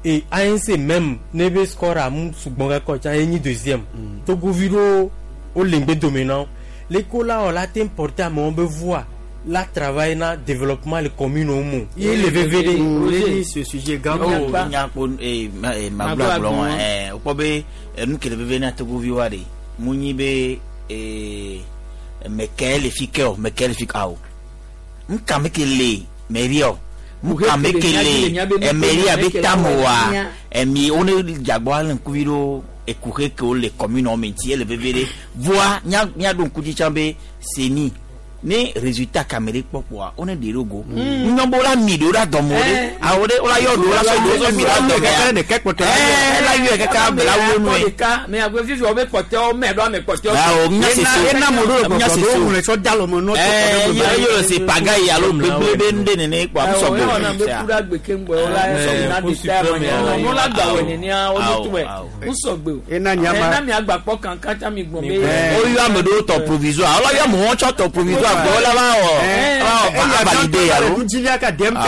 et A N C même ne be score amu sugbɔn kakɔ tsã ye nyi deuxième togovi ɖo wo le ŋgbe dome na wo leko la wɔ la te porter amewo be voix la travail na développement le commune wo mo ye le veve ɖe. Ce sujet grave. O nyakpo ee magblɔ agblɔ wa ɛɛ wokpɔ be nu ke le veve na togovi wa de mu nyi be ee mɛkɛ le fi kɛ o mɛkɛ le fi ka o nka me ke le mɛri o nka me ke le ɛmɛri abe tamu wa ɛmi wo ne dzagbɔ ale ŋkuvi ɖo ekuxe ke wo le commune me ŋuti ele veve ɖe voa nya miaɖo ŋku dzi tsã be seni ne résultat kamere kpɔkpɔa wo ne ɖe ɖo go nyɔnbo la mi ɖo la dɔmɔ ɖe awo ɖe wo la yɔ ɖo la sɔ ɖo sɔ mi la dɔmɔ ya ɛɛ la yɔ kaka bela wo nu ye. mɛ agbe fifi wo be kpɔtɔwo mɛ ɖo ame kpɔtɔwo. awo nya se so ena mo ɖo gbɔgbɔ ɖo ŋlɔ tsɔ da lɔmɔ nɔ ɛɛ yɔ yɔ se paga yi alo gbegble be nu ɖe nene kpɔ amu sɔgbe. ewɔ na be ku ɖe agbe keŋgbɔ wo la na de ta ma nya no la gba wɔ nenea wo do tuwɛ mu sɔgbe o. Ena nyama ena mi agba kpɔ kankan tsa mi gbɔn be. O yɔ ame ɖewo tɔ provisoire alo yɔ amewo tsɔ tɔ provisoire gbɔ la va wɔ va valide alo. Ŋutivia ka D M P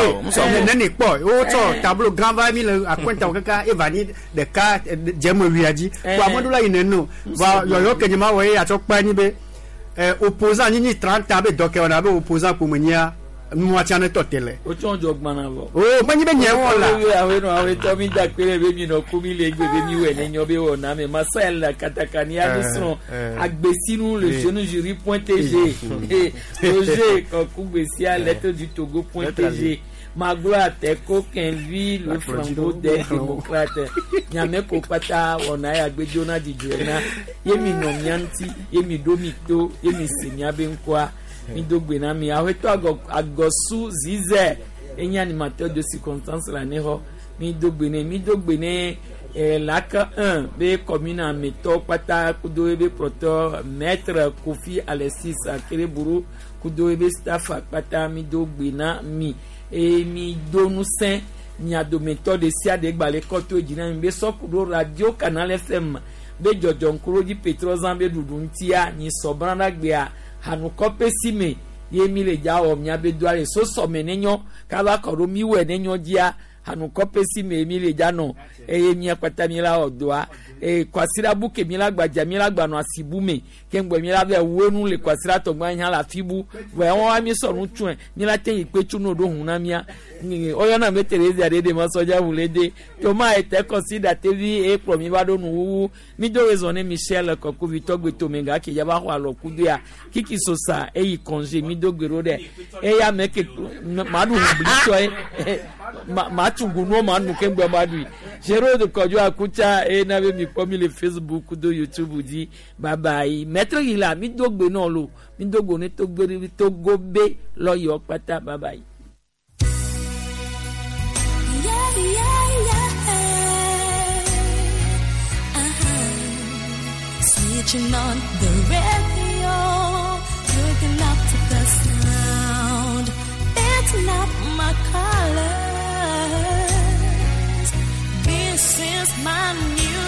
nene kpɔ wotsɔ tableau grand va mi le akɔnta kaka eva ni ɖeka dzeme wuia dzi ko ame ɖo la yi nene va yɔyɔ ke nye ma wɔ ye atsɔ kpe anyi be opposant nyinyi trente abe dɔkɛ wɔna abe opposant ƒomenyia nua tia ne tɔ te le. O tsɔn jɔ gbana vɔ. O menyi be nye wɔ la. Awo nɔ awo tɔ mi da kpe ɖe be mi nɔ ku mi le egbe be mi wɔ ne nyɔ be wɔ na me masa la katakani ya mi srɔ̃ agbesinu le jeune jury point tg Roger Kɔkugbesia lettre du Togo point tg Magloire Teko Kenvi le flambeau des démocrates Nyame ko kpata wɔna ya gbedzo na dzidzɔe na ye mi nɔ mia ŋuti ye mi ɖo mi to ye mi se mia be ŋkɔa. Mi do gbe na mi aƒetɔ agɔ agɔsu zizɛ enye animateur de circonstance la ne xɔ mi do gbe ne mi do gbe ne eh, lac un be commune ametɔ kpata kudo ebe kplɔtɔ maître Kofi Alexis Akereburu kudo ebe staff kpata mi do gbe na mi eye mi do ŋusẽ mia dometɔ ɖe sia ɖe gbalẽ kɔto dzi na mi be sɔkuɖo radio Canal F M be dzɔdzɔ ŋkuɖodzi petrɔzã be ɖuɖu ŋutia nyi sɔbrã ɖa gbea hanukɔƒe si me ye mi le dza wɔ mia be doa le sosɔme ne nyɔ kaba kɔ ɖo mi wɔe ne nyɔ dzia hanukɔƒe si me mi le dza nɔ eye mia kpata mi la wɔ doa eye kwasiɖa bu ke mi la gbadza mi la gba nɔ asibu me ke ŋgbɛ mi la vɛ wo nu le kwasiɖa tɔgba hã le afi bu vɔ ya wɔn mi sɔ nu tsɔe mi la te yi kpe tso no ɖo hu na mia ɔyɔna be Teresa ɖe ɖe ma sɔdza ʋu le de toma ete kɔsi tevi eye kplɔ mi va ɖo nuwuwu mi do rezɔ ne Michel Kɔkuvitɔ gbetome ga ke yaba xɔ alɔ kudo ya Kiki Sosa eyi congé mi do gbe ɖo ɖe eya me ke ma ɖu ʋublitɔe ma ma tsugu nuwo ma nu keŋgbɛ ma ɖui Gérard Kɔdzo Akutsa eye na be mi kpɔ mi le Facebook do YouTube dzi bye bye maître yi la mi do gbe nɔ lo mi do gbe ne Togo Togo be lɔyɔ kpata bye bye. Yeah, yeah, yeah. Uh-huh. Switching on the radio, looking up to the sound. It's not my colors. This is my music.